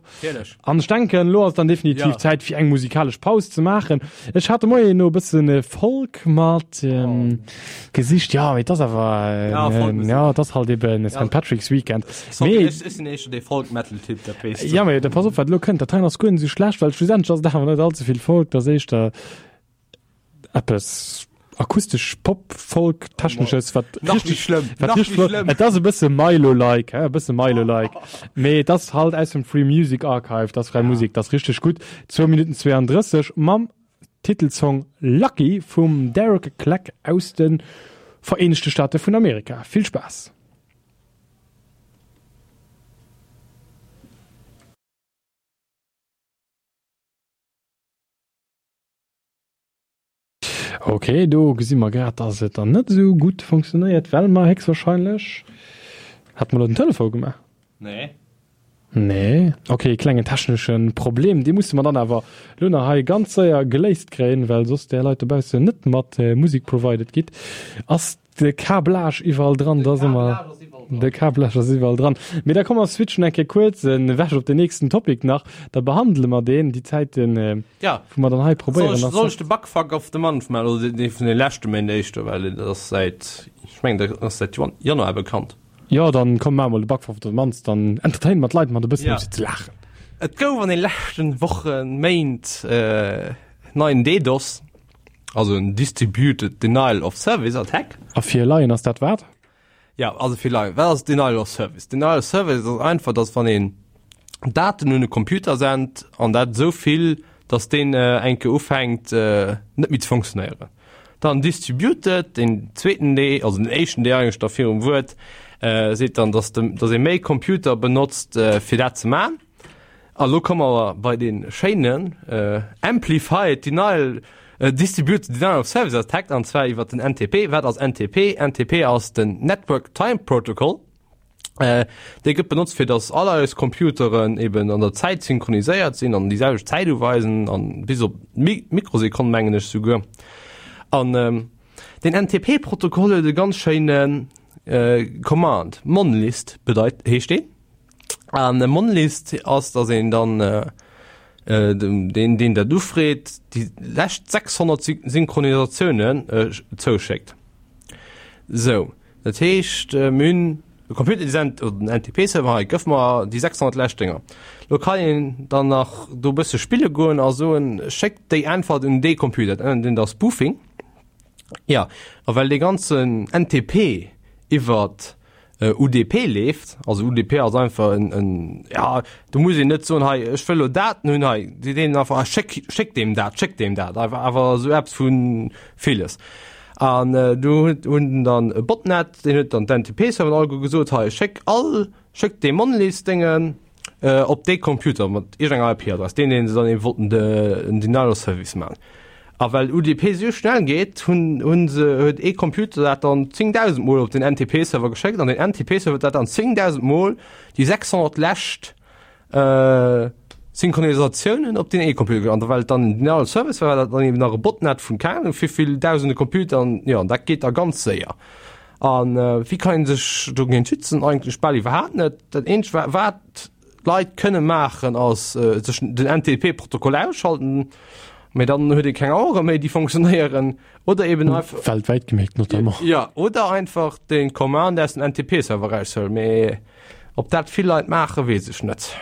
An ech denken, elo ass et dann definitiv Zäit, fir eng musikalesch Paus ze maachen. Ech hat de Moien elo e bësse Folk mat gesicht. Jo, mee et ass awer, jo, et ass halt eben Saint Patrick's Weekend. Mee ech sinn éischter dee Folk-Metal-Typ, dat weess de. Jo, mee da pass op, wat elo kënnt. Dat heien ass guer net esou schlecht, well schlussendlech ass et awer net all ze vill Folk. Et ass éischter eppes akustesch Pop-Folk technesches, wat Nach méi schlëmm, wat nach méi richtig flott. schlëmm. Et ass e bësse Milow-like, e bësse Milow-like. Mee et ass halt aus dem Free Music Archive, dat ass fräi Musek, dat ass richteg gutt. Zwou Minutten zweeandrësseg mam Titelsong Lucky vum Derek Clegg aus de Vereenegte Staate vun Amerika. Vill Spaass! Ok, do gesi mer grad, dass et dann net esou gutt funktionéiert, well mer héchstwahrscheinlech, hat mer elo den Telefon gemaach? Nee. Nee. Ok, klengen technesche Problem, dee musse mer dann awer elo nach hei ganz séier geléist kréien, well soss där Leit dobaussen net mat Musek provided gitt. Ass De Câblage iwwerall dran, da si mer. De Câblage ass iwwerall dran. Mee da komm mer switchen eng Kéier kuerz ewech op den nächsten Topic nach. Da behandele mer deen, déi Zäiten, Ja. wou mer dann hei probéieren. Soll ech, soll ech de Bugfuck of the Month maachen oder dee vun de leschte Méint éischter, well dat ass säit, ech mengen dat ass säit Januar bekannt. Jo, dann komm maach mol de Bugfuck of the Month, dann entertaine mer d'Leit mat e bëssen, Ja. fir ze laachen. Et gouf an de leschten Wochen, Méint neien DDoS. Also en Distributed Denial of Service Attack. A fir Laien ass dat wat? Ja, also fir Laien, wat ass Denial of Service? Denial of Service ass einfach, dass wann een Daten un e Computer sent an dat esou vill, dass deen eng Kéier ufänkt net méi ze funktionéieren. Dann Distributed, deen zweeten D, also den éischten D eigentlech da virum Wuert, seet dann, dass de, dass ee méi Computer benotzt fir dat ze man. A lo komme mer bei dee schéinen Amplified Denial, Distributed Denial of Service Attack, an zwar iwwer den N T P. Wat ass N T P? N T P ass den Network Time Protocol. Dee gëtt benotzt, fir datt all eis Computeren eben an der Zäit synchroniséiert sinn an déi selwecht Zäit uweisen, an bis op d'Mikrosekonn, mengen ech souguer. An deen N T P-Protokoll huet e ganz schéine Command, monlist bedeit, heescht deen. An e Monlist ass, datt een dann deen, deen dat ufreet, déi lescht sechshonnert Synchronisatiounen zouschéckt. Sou, dat heescht, mir hunn e Computer, dee sent, oder den N T P-Server hei, gëff mer déi sechshonnert lescht Dénger. Lo kann een dann nach do e bësse spille goen a soen, schéck déi Äntwert un dee Computer. Dat nennt een da Spoofing. Jo, a well dee ganzen N T P iwwert U D P leeft, also U D P ass einfach en, en, ja, do muss een net soen, hei, ech wëll elo Daten hunn, hei, déi deenen einfach, ah, schéck, schéck deem dat, schéck deem dat, einfach, awer esou eppes vu villes. An do huet, hunn dann e Botnet, deen huet dann d'N T P-Serveren alleguer gesot, hei, schéck all, schéck dee Monlist-Déngen op dee Computer mat iergendenger I P-Adress, deen, deen se dann eben wollten de, en Denial of Service maachen. A well U D P sou schnell geet, hunn hunn se huet ee Computer dat dann zéngdausend Mol op den N T P-Server geschéckt an den N T P-Server huet dat dann zéngdausend Mol déi sechshonnert lescht Synchronisatiounen op deen ee Computer geschéckt. An well et dann en Denial of Service war, war dat dann eben nach e Botnet vun keng Ahnung wéivill dausende Computer an jo, an dat geet da ganz séier. A wéi kann ee sech dogéint schützen? Eigentlech bal iwwerhaapt net. Dat eenzegt wat d'Leit kënne maachen ass sech den N T P-Protokoll ausschalten, mee dann huet ee keng Auere méi déi funktionéieren, oder eben einfach weltwäit gemécht notamment. Ja, oder einfach den Command aus dem N T P-Server raushuelen, mee ob dat vill Leit maachen, weess ech net.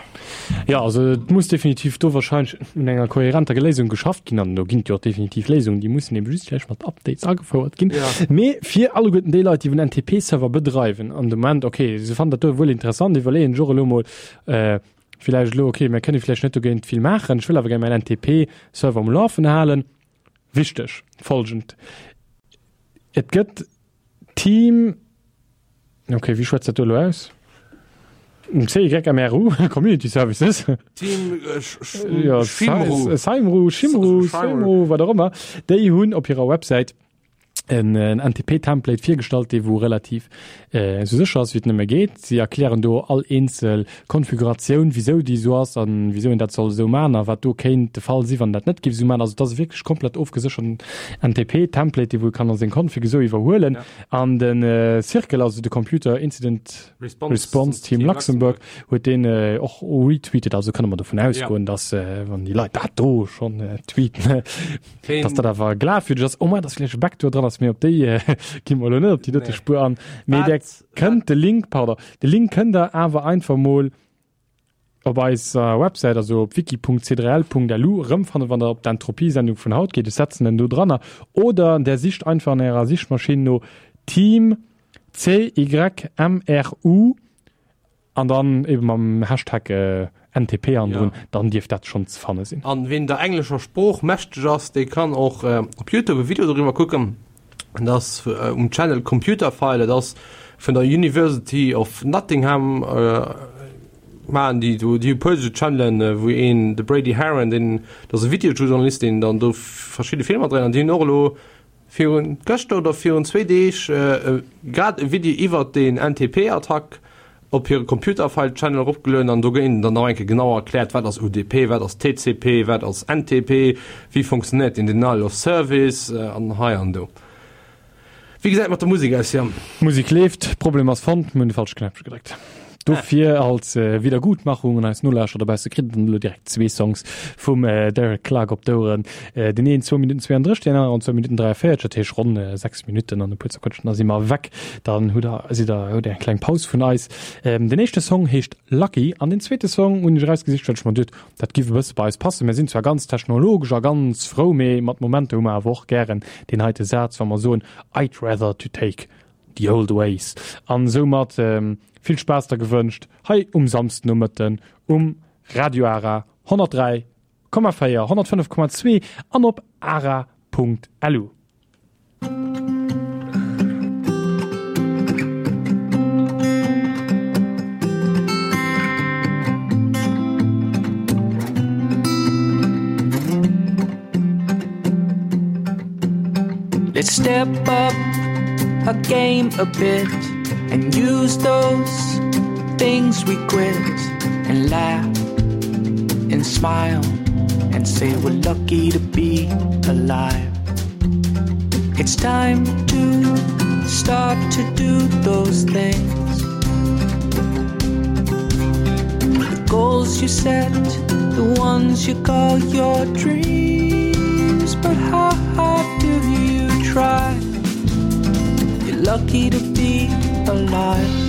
Ja, also et muss definitiv do wahrscheinlech un enger kohärenter Léisung geschafft ginn an do ginn et jo och definitiv Léisungen, déi mussen eben just vläicht mat Updates agefouert ginn. Ja. Mee fir alleguerten déi Leit, déi den N T P-Server bedreiwen an de Moment, okay, se fannen dat do wuel interessant, iwwerleeën sech och elo mol äh, vläicht elo, okay, mir kënne vläicht net dogéint vill maachen, ech wëll awer gär mäin N T P-Server um Lafen halen. Wichteg, folgend: Et gëtt Team, okay, wéi schwätzt dat do elo aus? C Y M R U, Community Services. Team äh, Ja, Schimru. Saimru, Shimru, Saimru, wat och ëmmer. Déi hunn op hirer Websäit en, en N T P-Template virgestallt, dee wou relativ äh, sou sécher ass wéi et nëmme geet. Si erklären do all eenzel Konfiguratioun, wisou déi sou ass an wisou een dat soll sou maachen a wat do kéint de Fall sinn, wann dat net géif sou maachen. Also dat ass wierklech komplett ofgesécherten N T P-Template, dee wou ee kann a seng Config esou iwwerhuelen. Ja. An den äh, Circle, also de Computer Incident Response, Response Team Luxembourg, huet deen äh, och retweetet, also kënne mer dovun ausgoen, ja. dass äh, wann déi Leit dat do schonn äh, tweeten, dass dat awer glafwierdeg ass. Oh man, dass vläicht e Backdoor dran ass, mee op déi äh, gi mer elo net op déi dote Nee. Spuer an. Mee der kënnt de Link, pardon, de Link kënnt der awer einfach mol op eiser Websäit, also op wiki Punkt C drei L Punkt L U rëmfannen, wann der op d'Entropie-Sendung vun haut geet. Ech setzen en do dranner. Oder der sicht einfach an ärer Sichmaschinn no Team C Y M R U an dann eben mam Hashtag äh, N T P hannendrun, Ja. dann dierft dat schonn ze fanne sinn. An wien der englescher Sprooch mächteg ass, dee kann och äh, op YouTube e Video doriwwer kucken. Dat ass äh, um Channel Computerfile, dat ass vun der University of Nottingham äh, maachen déi do déi puer Channelen, äh, wou een de Brady Haran, deen dat ass e Videojournalist, deen dann do verschidde Filmer dréint an déi hunn och elo virun gëschter oder virun zwee Deeg äh, äh, grad e Video iwwer den N T P-Attack op hire Computerfile Channel eropgelueden an do ginn dann nach eng Kéier genau erkläert, wat ass U D P, wat ass T C P, wat ass N T P, wéi funktionéiert den Denial of Service äh, an hei an do. Wéi gesäit mat der Musek aus, Jan? Musek leeft, Problem ass fonnt, mir hunn de falsche Knäppche gedréckt. Dofir als äh, Wiedergutmachung un eis Nolauschterer dobausse kritt der elo direkt zwee Songs vum äh, Derek Clark op d'Oueren. Äh, den een zwou Minutten zwouandrësseg, deen aneren zwou Minutten dräiavéierzeg, dat heescht ronn äh, sechs Minutten an e puer Zerquëtschen, da si mer weg. Dann hutt der, sidd der, hutt der eng kleng Paus vun eis. Ähm, den éischte Song heescht Lucky an den zweete Song hunn ech erausgesicht, well ech mer duecht, dat giff e bësse bei eis passen. Mir sinn zwar ganz technologesch a ganz frou, mee mat Momenter hu mer awer och gären deen heite Saz, wa mer soen, I'd rather to take the old ways. An soumat ähm, vill Spaass der gewënscht hei um Samsdenomëtten um Radio Ara honnertdräi Komma véier, honnertfënnef Komma zwee an op ara Punkt L U. Let's step up our game a bit and use those things we quit and laugh and smile and say we're lucky to be alive. It's time to start to do those things. The goals you set, the ones you call your dreams. But how hard do you try? You're lucky to be alive.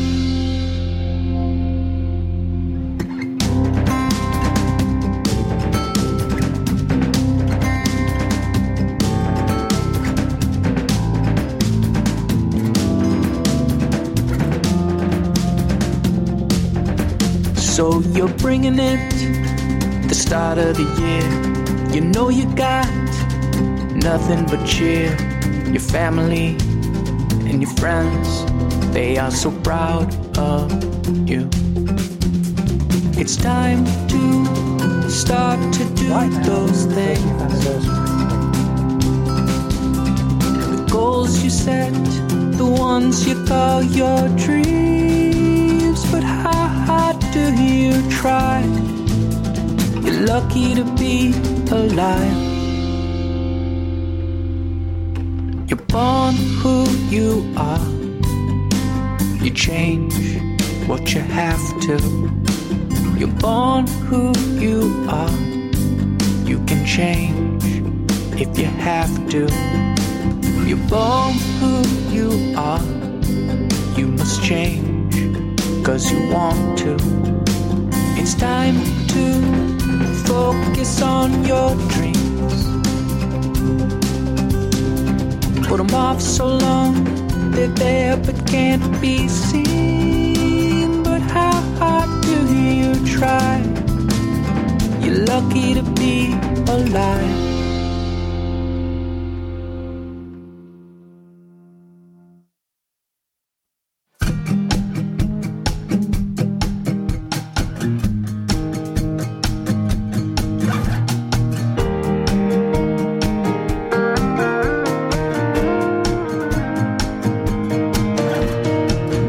So you're bringing it, the start of the year. You know you got nothing but cheer. Your family and your friends, they are so proud of you. It's time to start to do those things. The goals you set, the ones you call your dreams. But how hard do you try? You're lucky to be alive. You're born who you are. You change what you have to. You're born who you are. You can change if you have to. You're born who you are. You must change cause you want to. It's time to focus on your dreams. Put 'em off so long, they're there but can't be seen. But how hard do you try? You're lucky to be alive.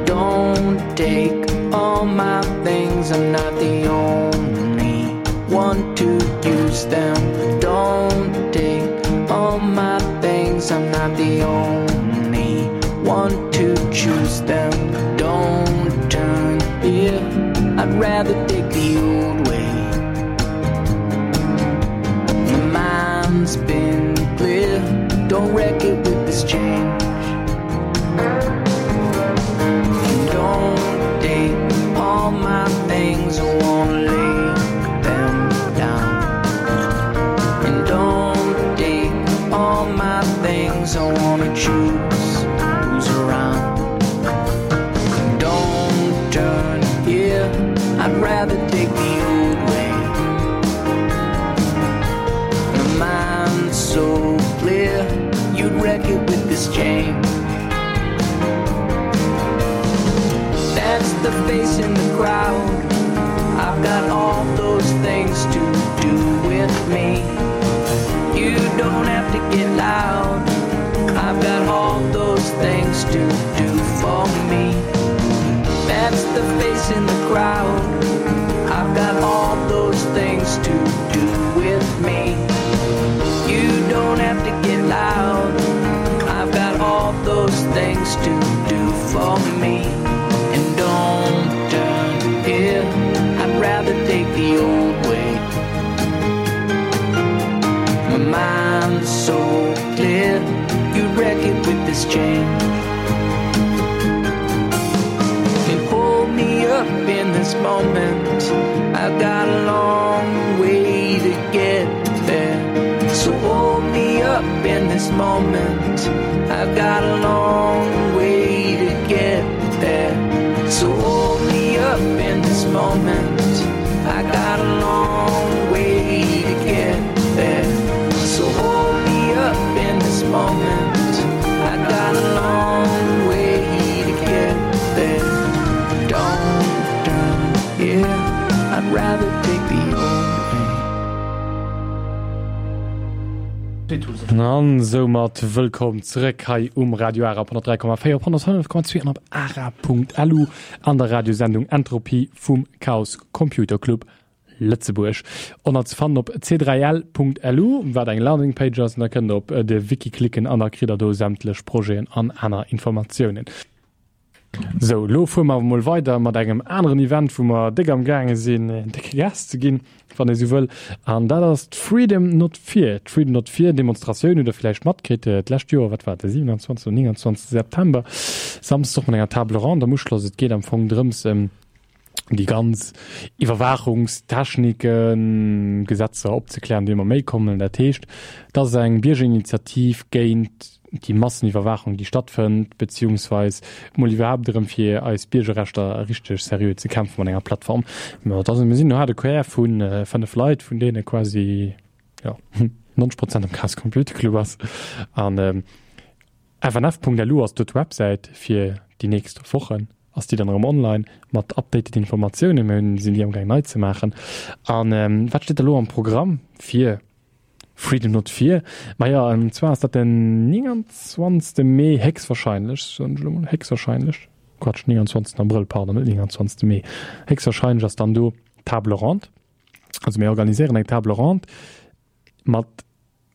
Don't take all my things, I'm not the only one to use them. Don't take all my things, I'm not the only one to choose them. Don't turn here, I'd rather take the old way. My mind's been clear, don't wreck it with this change. Don't take all my things, I won't lay them down. And don't take all my things, I wanna choose who's around. Don't turn here, I'd rather take the old way. My mind's so clear, you'd wreck it with this change. That's the face in the crowd. I've got all those things to do with me. You don't have to get loud. I've got all those things to do for me. That's the face in the crowd. I've got all those things to do with me. You don't have to get loud. I've got all those things to do for me. And don't turn here. I'd rather take the old way. My mind's so clear. You'd wreck it with this change. And hold me up in this moment. I've got a long way to get there. So hold me up in this moment. I've got a long way to get there. So hold me up in this moment. I got a long way to get there. So hold me up in this moment. I got a long way to get there. Don't turn here. I'd rather take the old way. An soumat wëllkomm zeréck hei um Radio Ara op honnertdräi Komma véier, op honnertfënnef Komma zwee an op ara Punkt lu an der Radiosendung Entropie vum Chaos Computer Club Lëtzebuerg. Ënner ze fannen op c dräi l Punkt lu, wat eng Landingpage ass, an da kënnt der op de Wiki klicken an da kritt der do sämtlech Projeten an aner Informatiounen. Sou, lo fuere mer mol weider mat engem aneren Event, wou mer déck am gaange sinn, décke Gas ze ginn, wann ee sou wëll. An dat ass d'Freedom Not Fear. D'Freedom Not Fear Demonstratioun hutt der vläicht matkritt d'lescht Joer, wat war de siewenundzwanzegsten oder nénganzwanzegste September, Samsdes och mat enger Table Ronde am Uschloss. Et geet am Fong drëms, déi ganz Iwwerwaachungstechniken, Gesetzer opzeklären, déi ëmmer méi kommen. Dat heescht, dat ass eng Biergerinitiativ géint déi Masseniwwerwaachung, déi stattfënnt, beziehungsweis mol iwwerhaapt drëm fir eis Biergerrechter richteg seriö ze kämpfen mat enger Plattform. Ma dat mir sinn no de Quer vun äh, fënnef Leit, vun deene quasi ja, neunzeg Prozent am Chaos Computer Club ass. An ähm, F N F Punkt L U ass d'Websäit fir déi nächst Wochen. Ass déi dann erëm online mat updated Informatiounen, mir sinn déi am gaang nei ze maachen. An ähm, wat steet da lo am Programm fir Freedom Not Fear? Ma ja, an zwar ass dat den nénganzwanzegste Mee héchstwahrscheinlech, soen ech lo mol, héchstwahrscheinlech, Quatsch, nénganzwanzegsten Abrëll, pardon, net nénganzwanzegste Mee. Héchstwahrscheinlech ass dann do Table Ronde. Also mir organiséieren eng Table Ronde mat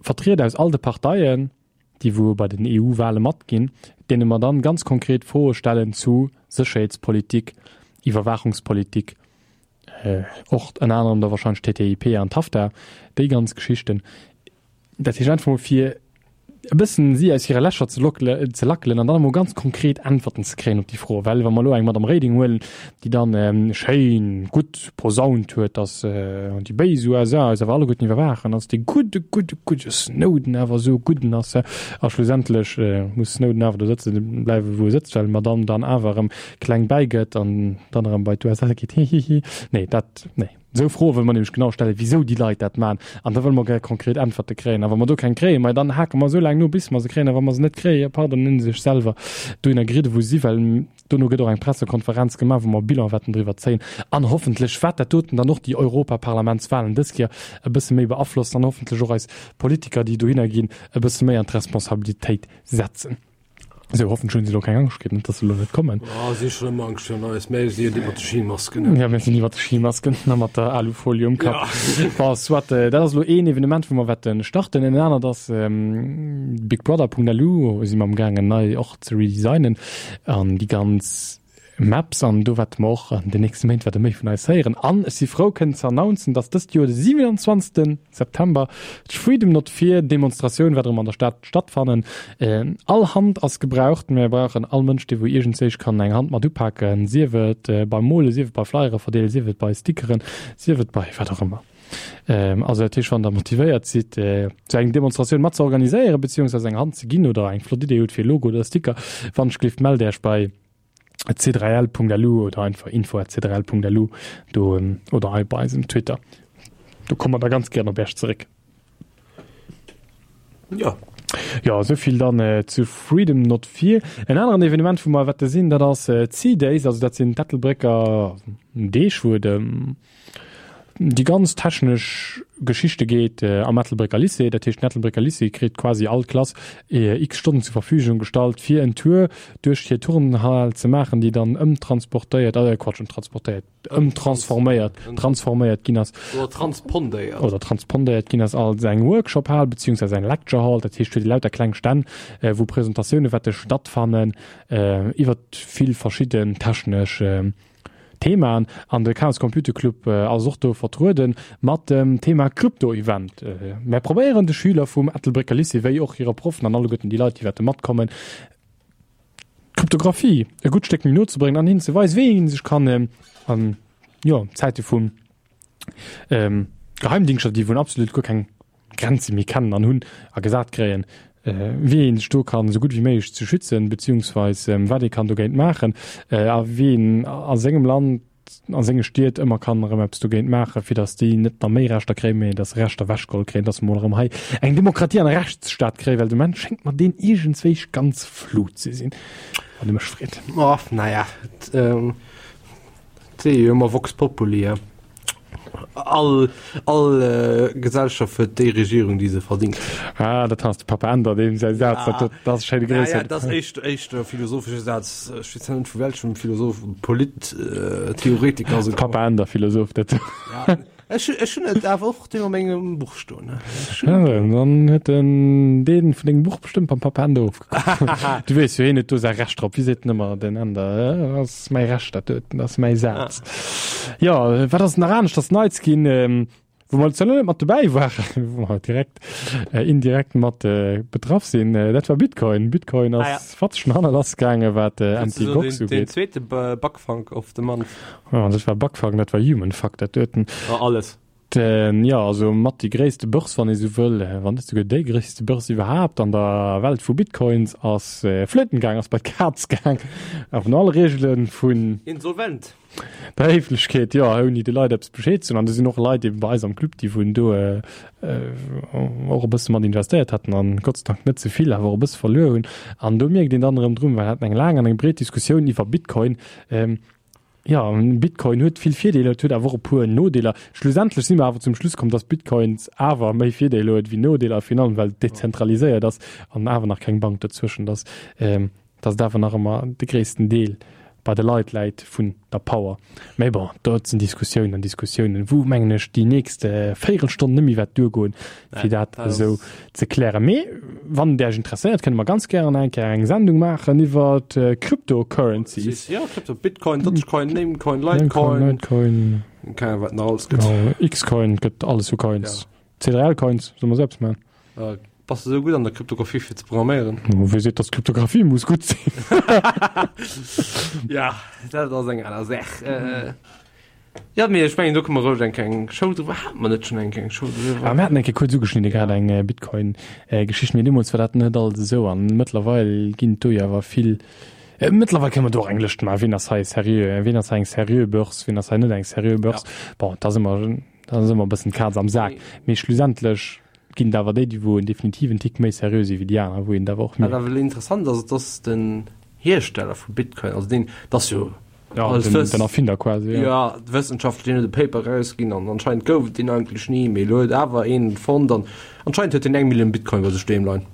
Vertrieder aus all de Parteien, déi wou bei den E U-Wahle matginn, deene mer dann ganz konkret Froe stellen zu Sécherheetspolitik, Iwwerwaachungspolitik, Och ënner anerem da wahrscheinlech T T I P an TAFTA, déi ganz Geschichten. Dat heescht einfach mol fir e bëssen si aus hire Lächer ze lockele, ze lackelen an dann emol ganz konkret Äntwerten ze kréien op déi Fro. Well wa mer elo eng Madame Reding huelen, déi dann schéin gutt posaunt huet, dass déi béis U S A eis awer alleguerten iwwerwaachen, dass dee gudde, gudde, gudde Snowden awer esou e gudden ass, a schlussendlech muss Snowden awer do sëtze bleiwen, wou e sëtzt, well d'Madame dann awer erëm kleng bäigëtt an dann erëm bei d'U S A geet, hihihi. Nee, dat, nee. Esou Froe wëlle mer nämlech genau stellen, wisou déi Leit dat maachen. An da wëlle mer gär konkret Äntwerte kréien. A wa mer do keng kréien, ma dann hake mer esou laang no, bis mer se kréien. A wa mer se net kréien, pardon, dann hunn se sech selwer dohinner geridde wou se si, well dono gëtt och eng Pressekonferenz gemaach, wou mer Bilan wäerten driwwer zéien. An hoffentlech wäert dat doten dann och déi Europaparlamentswahlen dës Kéier e bësse méi beaflossen an hoffentlech och eis Politiker, déi dohinner ginn, e bësse méi an d'Responsabilitéit setzen. Esou, hoffentlech hunn se elo keng Angscht kritt, net dass se elo net kommen. Ah, si hu schonn ëmmer Angscht virun eis, mä si sinn iwwer de Schimasken. Ja, mir sinn iwwer de Schimasken a mat der Alufolie um Kapp. Ja. Bon, soit, dat ass elo een Evenement, wou mer wäerte starten. En anert ass bigbrother punkt L U, wou si mer amgaangen nei och ze redesignen an déi ganz Maps, an do wäerte mer och an den nächste Méint wäerte méi vun eis héieren. An ech si frou kënnen ze announcen, dass dëst Joer de siwenanzwanzegste September d'Freedom Not Fear Demonstratioun wäert erëm an der Stad stattfannen. All Hand ass gebraucht. Mir brauchen all Mënsch, dee wou iergendzéich kann eng Hand mat upaken, sief et beim Molen, sief et bei Flyere verdeelen, sief et bei Stickeren, sief et bei wat och ëmmer. Also dat heescht, wann der motivéiert sidd, sou eng Demonstratioun mat ze organiséieren, beziehungsweise eng Hand ze ginn oder eng flott Idee hutt fir e Logo oder Sticker, wann ech gleeft, mellt Äech bei c drei l punkt l u oder einfach info at c drei l punkt l u do oder hei bei eisem Twitter. Do komme mer da ganz gären op Äech zeréck. Ja. Ja, esou vill dann äh, zu Freedom Not Fear. En aneren Evenement, wou mer wäerte sinn, dat ass äh, C-Days, also dat sinn d'Ettelbrécker Deeg, wou et ëm déi ganz technesch Geschichte geet äh, am Ettelbrécker Lycée. Dat heescht, den Ettelbrécker Lycée kritt quasi all Klass äh, x Stonnen zur Verfügung gestallt, fir en Tour duerch hir Turnhal ze maachen, déi dann ëmtransportéiert, äh, Quatsch, ëmtransportéiert, ëmtransforméiert, transforméiert ginn ass. Oder transpondéiert. Oder transpondéiert ginn ass als eng Workshop-Hal beziehungsweise eng Lecture Hall. Dat heescht, huet déi lauter kleng Stänn, äh, wou Presentatioune wäerte stattfannen, äh, iwwer vill verschidden technesch, äh, Themaen. An de Chaos Computer Club ass och do vertrueden mat dem Thema Krypto-Event. Mär probéieren de Schüler vum Ettelbrécker Lycée wéi och hire Proffen an alleguerten déi Leit, déi wäerte matkommen, d'Kryptographie e gutt Stéck méi no ze bréngen an hinnen ze weisen, wéi ee sech kann an, jo, Zäite vu Geheimdingschter, déi wou absolut guer keng Grenze méi kennen an hunn a gesat kréien, wéi een sech do kann esou gutt wéi méiglech ze schützen, beziehungsweis wat ee kann dogéint maachen a wéi een a sengem Land, a senge Stied ëmmer kann erëm eppes dogéint maachen, fir datt déi net nach méi Rechter kréien, mee datt se Rechter ewechgeholl kréien, datt mer mol erëm hei eng Demokratie an e Rechtsstaat kréien, well de Moment schéngt mer deen iergendswéi ganz flou ze sinn, wann ee mech freet. Oh, naja, et si jo ëmmer Vox Populi, he. All, all äh, Gesellschaft huet déi Regierung, déi se verdingt. Ah, dat ass de Papa Änder, deem säi Saz, Ja. dat, dat ass schéine Ja, Gréisser. ja, dat ass éischt, éischt e philosophesche Saz. Ech weess net vu welchem Philosoph, Polit, äh, Theoretiker se Papa Änder, Philosoph, dat. Ja. Ech, ech hunn et awer och deen a mengem Buch stoen. Ne? Ech Ja, hunn dann huet den deen vun dengem Buch bestëmmt beim Papa Änder ofgekuckt. Du weess jo, hien huet do säi Recht drop. Wéi seet en ëmmer, den Änder? Dat ass mäi Recht, dat doten, dat ass mäi Saz. Ja, wat ass nach aneschters Neits ginn, ähm, wou mer zwar net mat dobäi waren, wou mer direkt, äh, indirekt mat äh, betraff sinn, äh, dat war Bitcoin. Bitcoin ass Ah, ja. fatzeg no hanne lassgaangen, wat äh, Das ist so M T Gox den, den ugeet. zweete Ba-, Backfunk of the month. Ja, dat war Backfunk, dat war Human Fuck, dat doten. Ja, alles. Den, ja, also mat déi gréisste Börse, wann ee sou wëll, wann net souguer déi gréisste Börse iwwerhaapt an der Welt vu Bitcoins, ass äh, flöten gaang, ass bei d'Kaz gaang. A vun alle Reegele vun Insolvent. der Héiflechkeet, jo, ouni de Leit eppes Bescheed ze soen. An do sinn och Leit eben bei eis am Club, déi vun do äh, äh, och e bësse mat investéiert haten an Gott sei Dank net ze vill, awer och e bësse verluer hunn. An do mierkt een dann erëm drun, well haten eng laang an eng breet Diskussioun iwwer Bitcoin. Ähm, ja, Bitcoin huet vill Virdeeler, et huet awer och e puer Nodeeler. Schlussendlech si mer awer zum Schluss komm, dass Bitcoins awer méi Virdeeler huet wéi Nodeeler, virun allem well et dezentraliséiert ass an awer nach keng Bank dozwëschent ass, ähm, dass et awer nach ëmmer de gréissten Deel bei de Leit läit vun der Power. Mee bon, dat sinn Diskussiounen an Diskussiounen, wou, mengen ech, déi nächst Véierelstonn net méi wäert duergoen, fir dat esou ze klären. Mee wann et Iech interesséiert, kënne mer ganz gären eng Kéier eng Sendung maachen iwwer Cryptocurrencies. Ja, Crypto, Bitcoin, Dogecoin, Namecoin, Litecoin. Namecoin, Litecoin. Keng Ahnung, wat nach alles gëtt. Ja, X-Coin gëtt alles vu Coins. C drei L Coins, soll man selbst machen. Äh, bass du sou gutt an der Kryptographie fir ze programméieren? Oh, wéi seet, dass Kryptographie muss gutt sinn? Ja, dat ass eng aner Saach. Äh, ja, mee ech mengen, do kënne mer roueg eng kleng Show driwwer. Hate mer net schonn eng kleng Show driwwer? Ah, mir haten eng Kéier kuerz ugeschnidde gehat, eng äh, Bitcoin-Geschicht, mee deemools war dat net alles esou an mëttlerweil ginn et do jo awer vill. Äh, mëttlerweil kënne mer do och eng Lëscht maachen, wien ass hei seriö, wien ass hei eng seriö Börse, wien ass hei net eng seriö Börse. Ja. Bon, da si mer, da si mer e bëssen d'Kaz am Sak. Mee schlussendlech ginn et awer déi, déi wou definitiv en Tick méi seriö si wéi déi aner, wou een et awer och Wat mierkt. awer interessant ass, et ass den Hiersteller vu Bitcoin, also deen, dat ass jo Ja, alles den, Wëss- den Erfinder quasi, ja. Ja, d'Wëssenschaftler, deen huet e Paper erausginn an anscheinend gouf et deen eigentlech ni, mee elo huet awer een en fonnt an anscheinend huet deen eng Millioun Bitcoin bei sech doheem leien.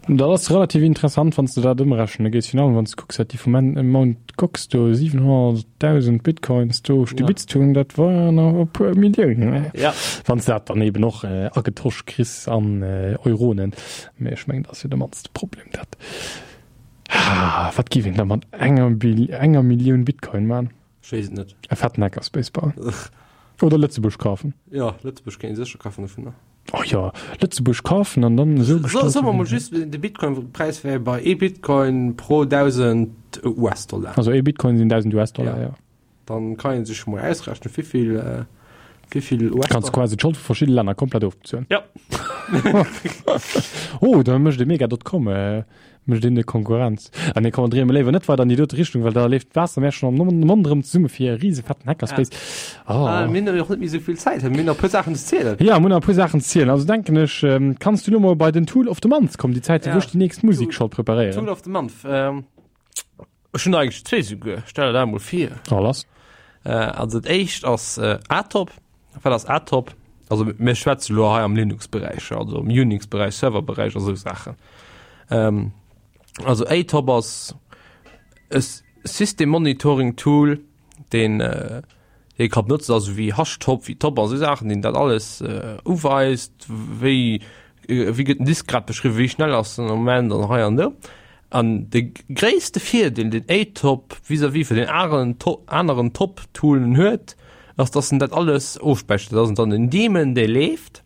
Dat ass relativ interessant, wann s de dat ëmrechne gees, virun allem wann s de kucks, wat déi vu Mount Gox do siwenhonnertdausend Bitcoins do stibitzt hunn, dat waren awer e puer Milliounen, Ja. wann s de dat dann eben och agetosch kriss an Euronen. Mee ech mengen, dat ass jo de mannste Problem, dat. Wat giff een da mat enger enger Millioun Bitcoin man? Ech weess et net. E fetten Hackerspace bauen. Oder Lëtzebuerg kafen. Jo, Lëtzebuerg kéint ee sécher kafen dovunner. Oh jo, Lëtzebuerg kafen an dann esou So, gestalten. soe mer mol just, de Bitcoin-Präis wär bei ee Bitcoin pro dausend U S-Dollar. Also ee Bitcoin sinn dausend U S-Dollar, Ja. jo. Dann kann een sech mol ausrechnen, wéivill, äh, wéivill Kanns U S-Dollar. quasi d'Schold vu verschidde Länner komplett ofbezuelen. Ja. Oh, da mécht de Mega dot com, äh, mécht een de Konkurrenz. Ah nee, komm, dréie mer léiwer net weider an déi dote Richtung, well da leeft d'Waasser mär schonn am Mond erëm zesumme fir e risefetten Hackerspace. Oh. Ah, mir hunn och net méi esou vill Zäit, mir hunn nach e puer Saachen ze zielen. Ja, mir hunn nach e puer Saachen ze zielen. Also denken ech, ähm, kanns du lo mol bei den Tool of the Month kommen, déi Zäit, Ja. wou ech déi nächst Musik Tool, scho preparéieren. Tool of the Month. Ähm, ech hunn eigentlech zwee souguer, stell der dat emol vir. Oh, lass. Äh, also dat éischt ass äh, Atop. Wat ass Atop? Also mir schwätze lo hei am Linux-Beräich, also am Unix-Beräich, Server-Beräich a sou Saachen. Ähm, also Atop ass e System Monitoring Tool, deen äh, dee ka benotzen, also wéi Hashtop, wéi Top a sou Saachen, deen dat alles äh, uweist, wéi äh, wéi gëtt den Disk grad beschriwwen, wéi schnell ass den Moment an hei an do. An de gréisste Virdeel, deen Atop vis-à-vis vun den aneren aneren Top-Toolen huet, ass, dass en dat alles ofspäichert. Dat ass dann en Daemon, dee leeft,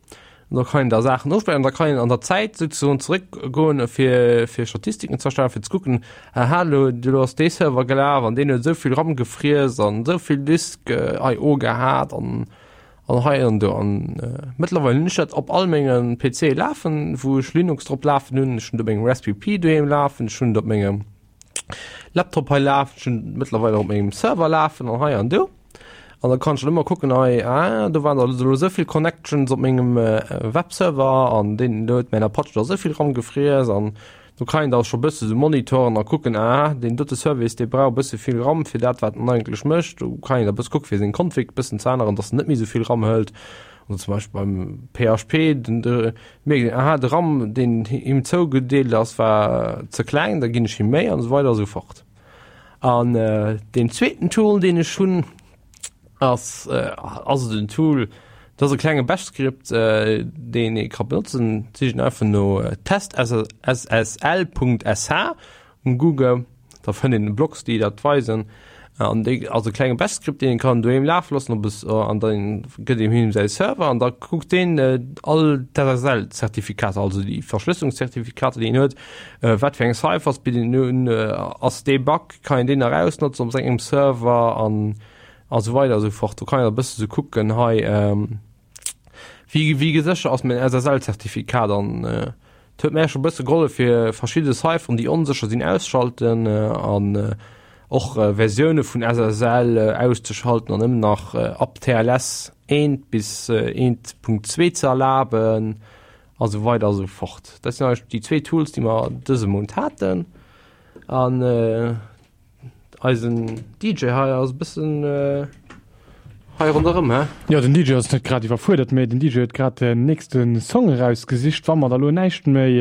an da kann een da Saachen ofspäicheren, an da kann een an der Zäit souzesoen zeréckgoen, fir fir Statistiken ze erstellen, fir ze kucken, aha, elo elo ass dee Server gelaf an deen huet esou vill RAM gefriess an esou vill Disk I O gehat an an hei an do. An mëttlerweil hunn ech dat op all menge P C lafen, wou ech Linux drop lafen hunn. Ech hunn et op mengem Raspberry Pi doheem lafen, ech hunn et op mengem Laptop hei lafen, ech hunn et mëttlerweil och op mengem Server lafen an hei an do. An da kann ech dann ëmmer kucken, hei, ah, do waren der elo esou vill Connections op mengem Webserver an deen do huet mäin Apache da esou vill RAM gefriess an do kann een da scho bësse sou monitoren a kucken, ah, deen dote Service, dee brauch e bësse vill RAM fir dat, wat en eigentlech mécht. Do kann een da bësse kucke fir seng Config bëssen ze änneren, dass en net méi sou vill RAM hëlt. Oder zum Beispill beim P H P, den, de mierkt een, aha, de RAM, deen him zougedeelt ass, war ze kleng, da ginn ech him méi an esou weider a sou fort. An deen zweeten Tool, deen ech hunn, ass ass et en Tool, dat ass e klenge Bash-Skript, deen ee ka benotzen. Sicht een einfach no testssl Punkt sh um Google, da fënnt een Blogs, déi dat weisen. An dee ass e klenge Bash-Skript, deen ee kann doheem lafe loossen op e an da gëtt een him säi Server an da kuckt deen all d'S S L-Zertifikater, also déi Verschlësselungszertifikater, déi een huet, wat fir eng Ciphers bidden en un, ass dee Bug, kann een deen erausnotzen op sengem Server an a sou weider a sou fort. Do kann een e bësse sou kucken hei, wéi wéi gesécher ass mäin S S L-Zertifikat an et huet mär scho bësse gehollef fir verschidde Cipheren, déi onsécher sinn, ausschalten an och Versioune vun S S L auszeschalten an nëmmen nach ab T L S eent bis eent Punkt zwee ze erlaben a sou weider a sou fort. Dat sinn eigentlech déi zwee Tools, déi mer dëse Mount haten an Eisen D J hei ass e bëssen hei ronderëm, he? Jo, den D J ass net grad iwwerfuerdert, mee den D J huet grad den nächste Song erausgesicht, wa mer da lo näischt méi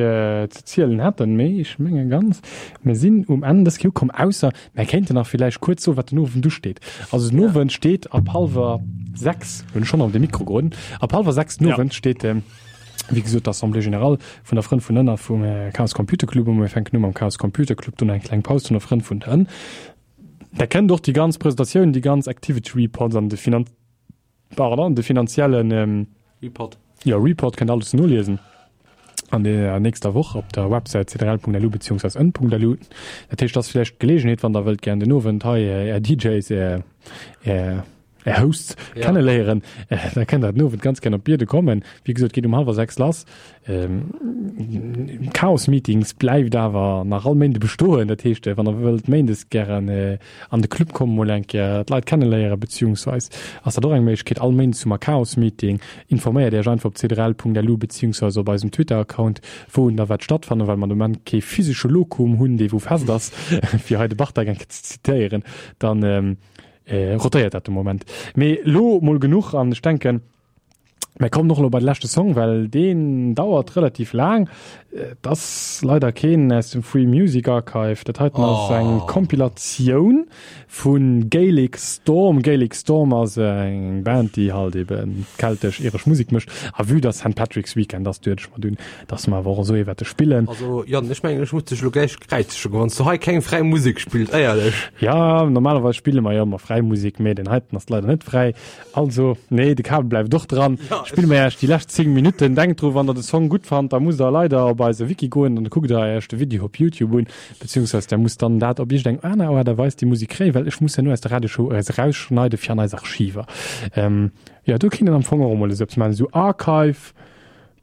ze zielen hätten. Mee ech menge ganz, mir sinn um Enn dës Kéier ukomm, ausser mär kéinten nach villäicht kuerz soen, wat den Owend usteet. Also den Owend steet ab hallwer sechs, hunn ech schonn op de Mikro geroden, ab hallwer sechs den Owend steet, wéi gesot, d'Assemblée générale vun der Frënn vun Ënner vum Chaos Computer Club un. Mir fänken u mam Chaos Computer Club, dunn eng kleng Paus vun der Frënn vun der Ënn. Da kënnt och déi ganz Presentatioun, déi ganz Activity Reports an de pardon, de finanziellen ähm, Report. Ja, Report kënnt alles noliesen an der nächster Woch op der Website cdl.lu beziehungsweise n.lu. Dat heescht, dat ass vläicht d'Geleegenheet, wann der wëllt gären den Owend hei äh, är DJs, är, är, är Hosts Ja. kenneléieren, äh, da kënnt der den Owend ganz gären op Bierden kommen. Wéi gesot, geet um hallwer sechs lass. Ähm, Chaos Meetings bleift awer nach all Méinde bestoen. Dat heescht, äh, wann der wëllt méindes gären äh, an de Club kommen, mol eng Kéier d'Leit kenneléieren, beziehungsweise ass dat och eng Méiglechkeet, all Méindes hu mer Chaos Meeting. Informéiert Iech einfach op cdl.lu beziehungsweise op eisem Twitter-Account, wou da wat stattfannen, well mer de Moment kee physesche Lokum hunn, dee wou fest ass, fir hei de Bartek eng Kéier ze zitéieren, dann ähm, äh, rotéiert dat de Moment. Mee lo mol genuch an ech denken, Mir kommen och lo bei de leschte Song, well deen dauert relativ laang. Äh, Dat ass leider keen aus dem Free Music Archive. Dat heiten ass Oh. eng Kompilatioun vun Gaelic Storm. Gaelic Storm ass eng Band, déi halt eben keltesch iresch Musek mécht. A vue dass Saint Patrick's Weekend ass, duecht ech mer dunn, dass mer awer och esou ee wäerte spillen. Also Jan, ech mengen, ech muss dech lo gläich kräizegen, wann s du hei keng fräi Musek spills, éierlech. Ja, normalerweis spille mer jo ëmmer fräi Musek, mee den heiten ass leider net fräi. Also, nee, de Kabel bleift och dran. Ja, Spille mer iech déi lescht zéng Minutten. Denkt dru, wann der de Song gutt fannt, da musst der leider op eise Wiki goen an da kuckt der iech de Video op YouTube un, beziehungsweise der musst dann dat op iergendeng aner Aart a Weis déi Musek kréien, well ech muss herno aus der Radioshow eis erausschneide fir an eis Archiver. Ähm, ja, do kéint een am Fong och emol esou eppes maachen, esou Archive.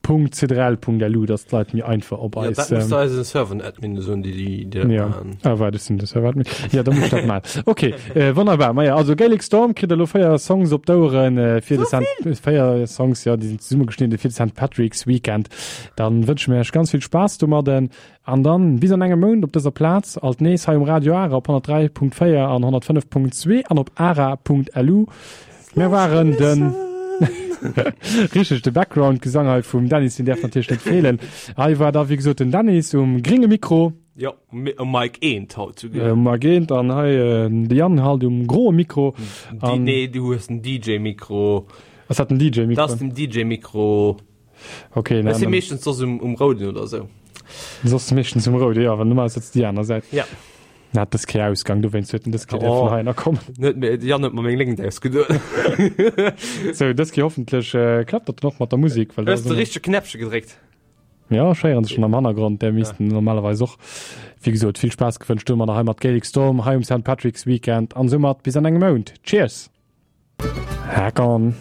.cdl.lu, dass d'Leit méi einfach op Ja, eis, dat muss ähm, der eisen Server-Admin soen, déi déi, déi dat Ja. maachen. Ah, waart, ech sinn de Server-Admin. Ja, da muss ech dat maachen. Okay, äh, wonnerbar. Maja, also Gaelic Storm kritt elo véier Songs op d'Oueren, äh, fir de Saint, véier Songs, ja, déi sinn zesummegeschnidde fir de Saint Patrick's Weekend. Dann wënsche mir iech ganz vill Spaass domadden an dann bis an engem Mount op dëser Plaz, alt nees hei um Radio Ara op honnertdräi Punkt véier an honnertfënnef Punkt zwee an op ara Punkt lu. Mir waren den Richteg, de Background-Gesang hei vum Dennis, deen däerf natierlech net feelen. Hei war da wéi gesot den Dennis um grénge Mikro. Jo, um Mic eent haut souguer. Um Mic eent an hei de Yann halt um groe Mikro. An nee, du hues den D J-Mikro. Ass dat den D J-Mikro? Dat ass den D J-Mikro. Okay, Ech si dann, meeschtens soss um, um rouden oder sou. Soss meeschtens um roude, jo, well normal sëtzt déi aner Säit. Ja. Na, dës Kéier Ausgang, dowéinst huet en dës Kéier Oh. dierfen heihinner kommen. Net méi, de Yann huet mer meng Léngt ausgeduet. Sou, dës Kéier hoffentlech äh, klappt dat dann och mat der Musek, well da Hues de ass ëmmer- richtege Knäppche gedréckt? Ja, ech héieren se schonn am Hannergrond, där missten normalerweis och. Wéi gesot, vill Spaass gewënscht domadder hei mat Gaelic Storm hei um Saint Patrick's Weekend an soumat bis an engem Mount. Cheers! Hack on!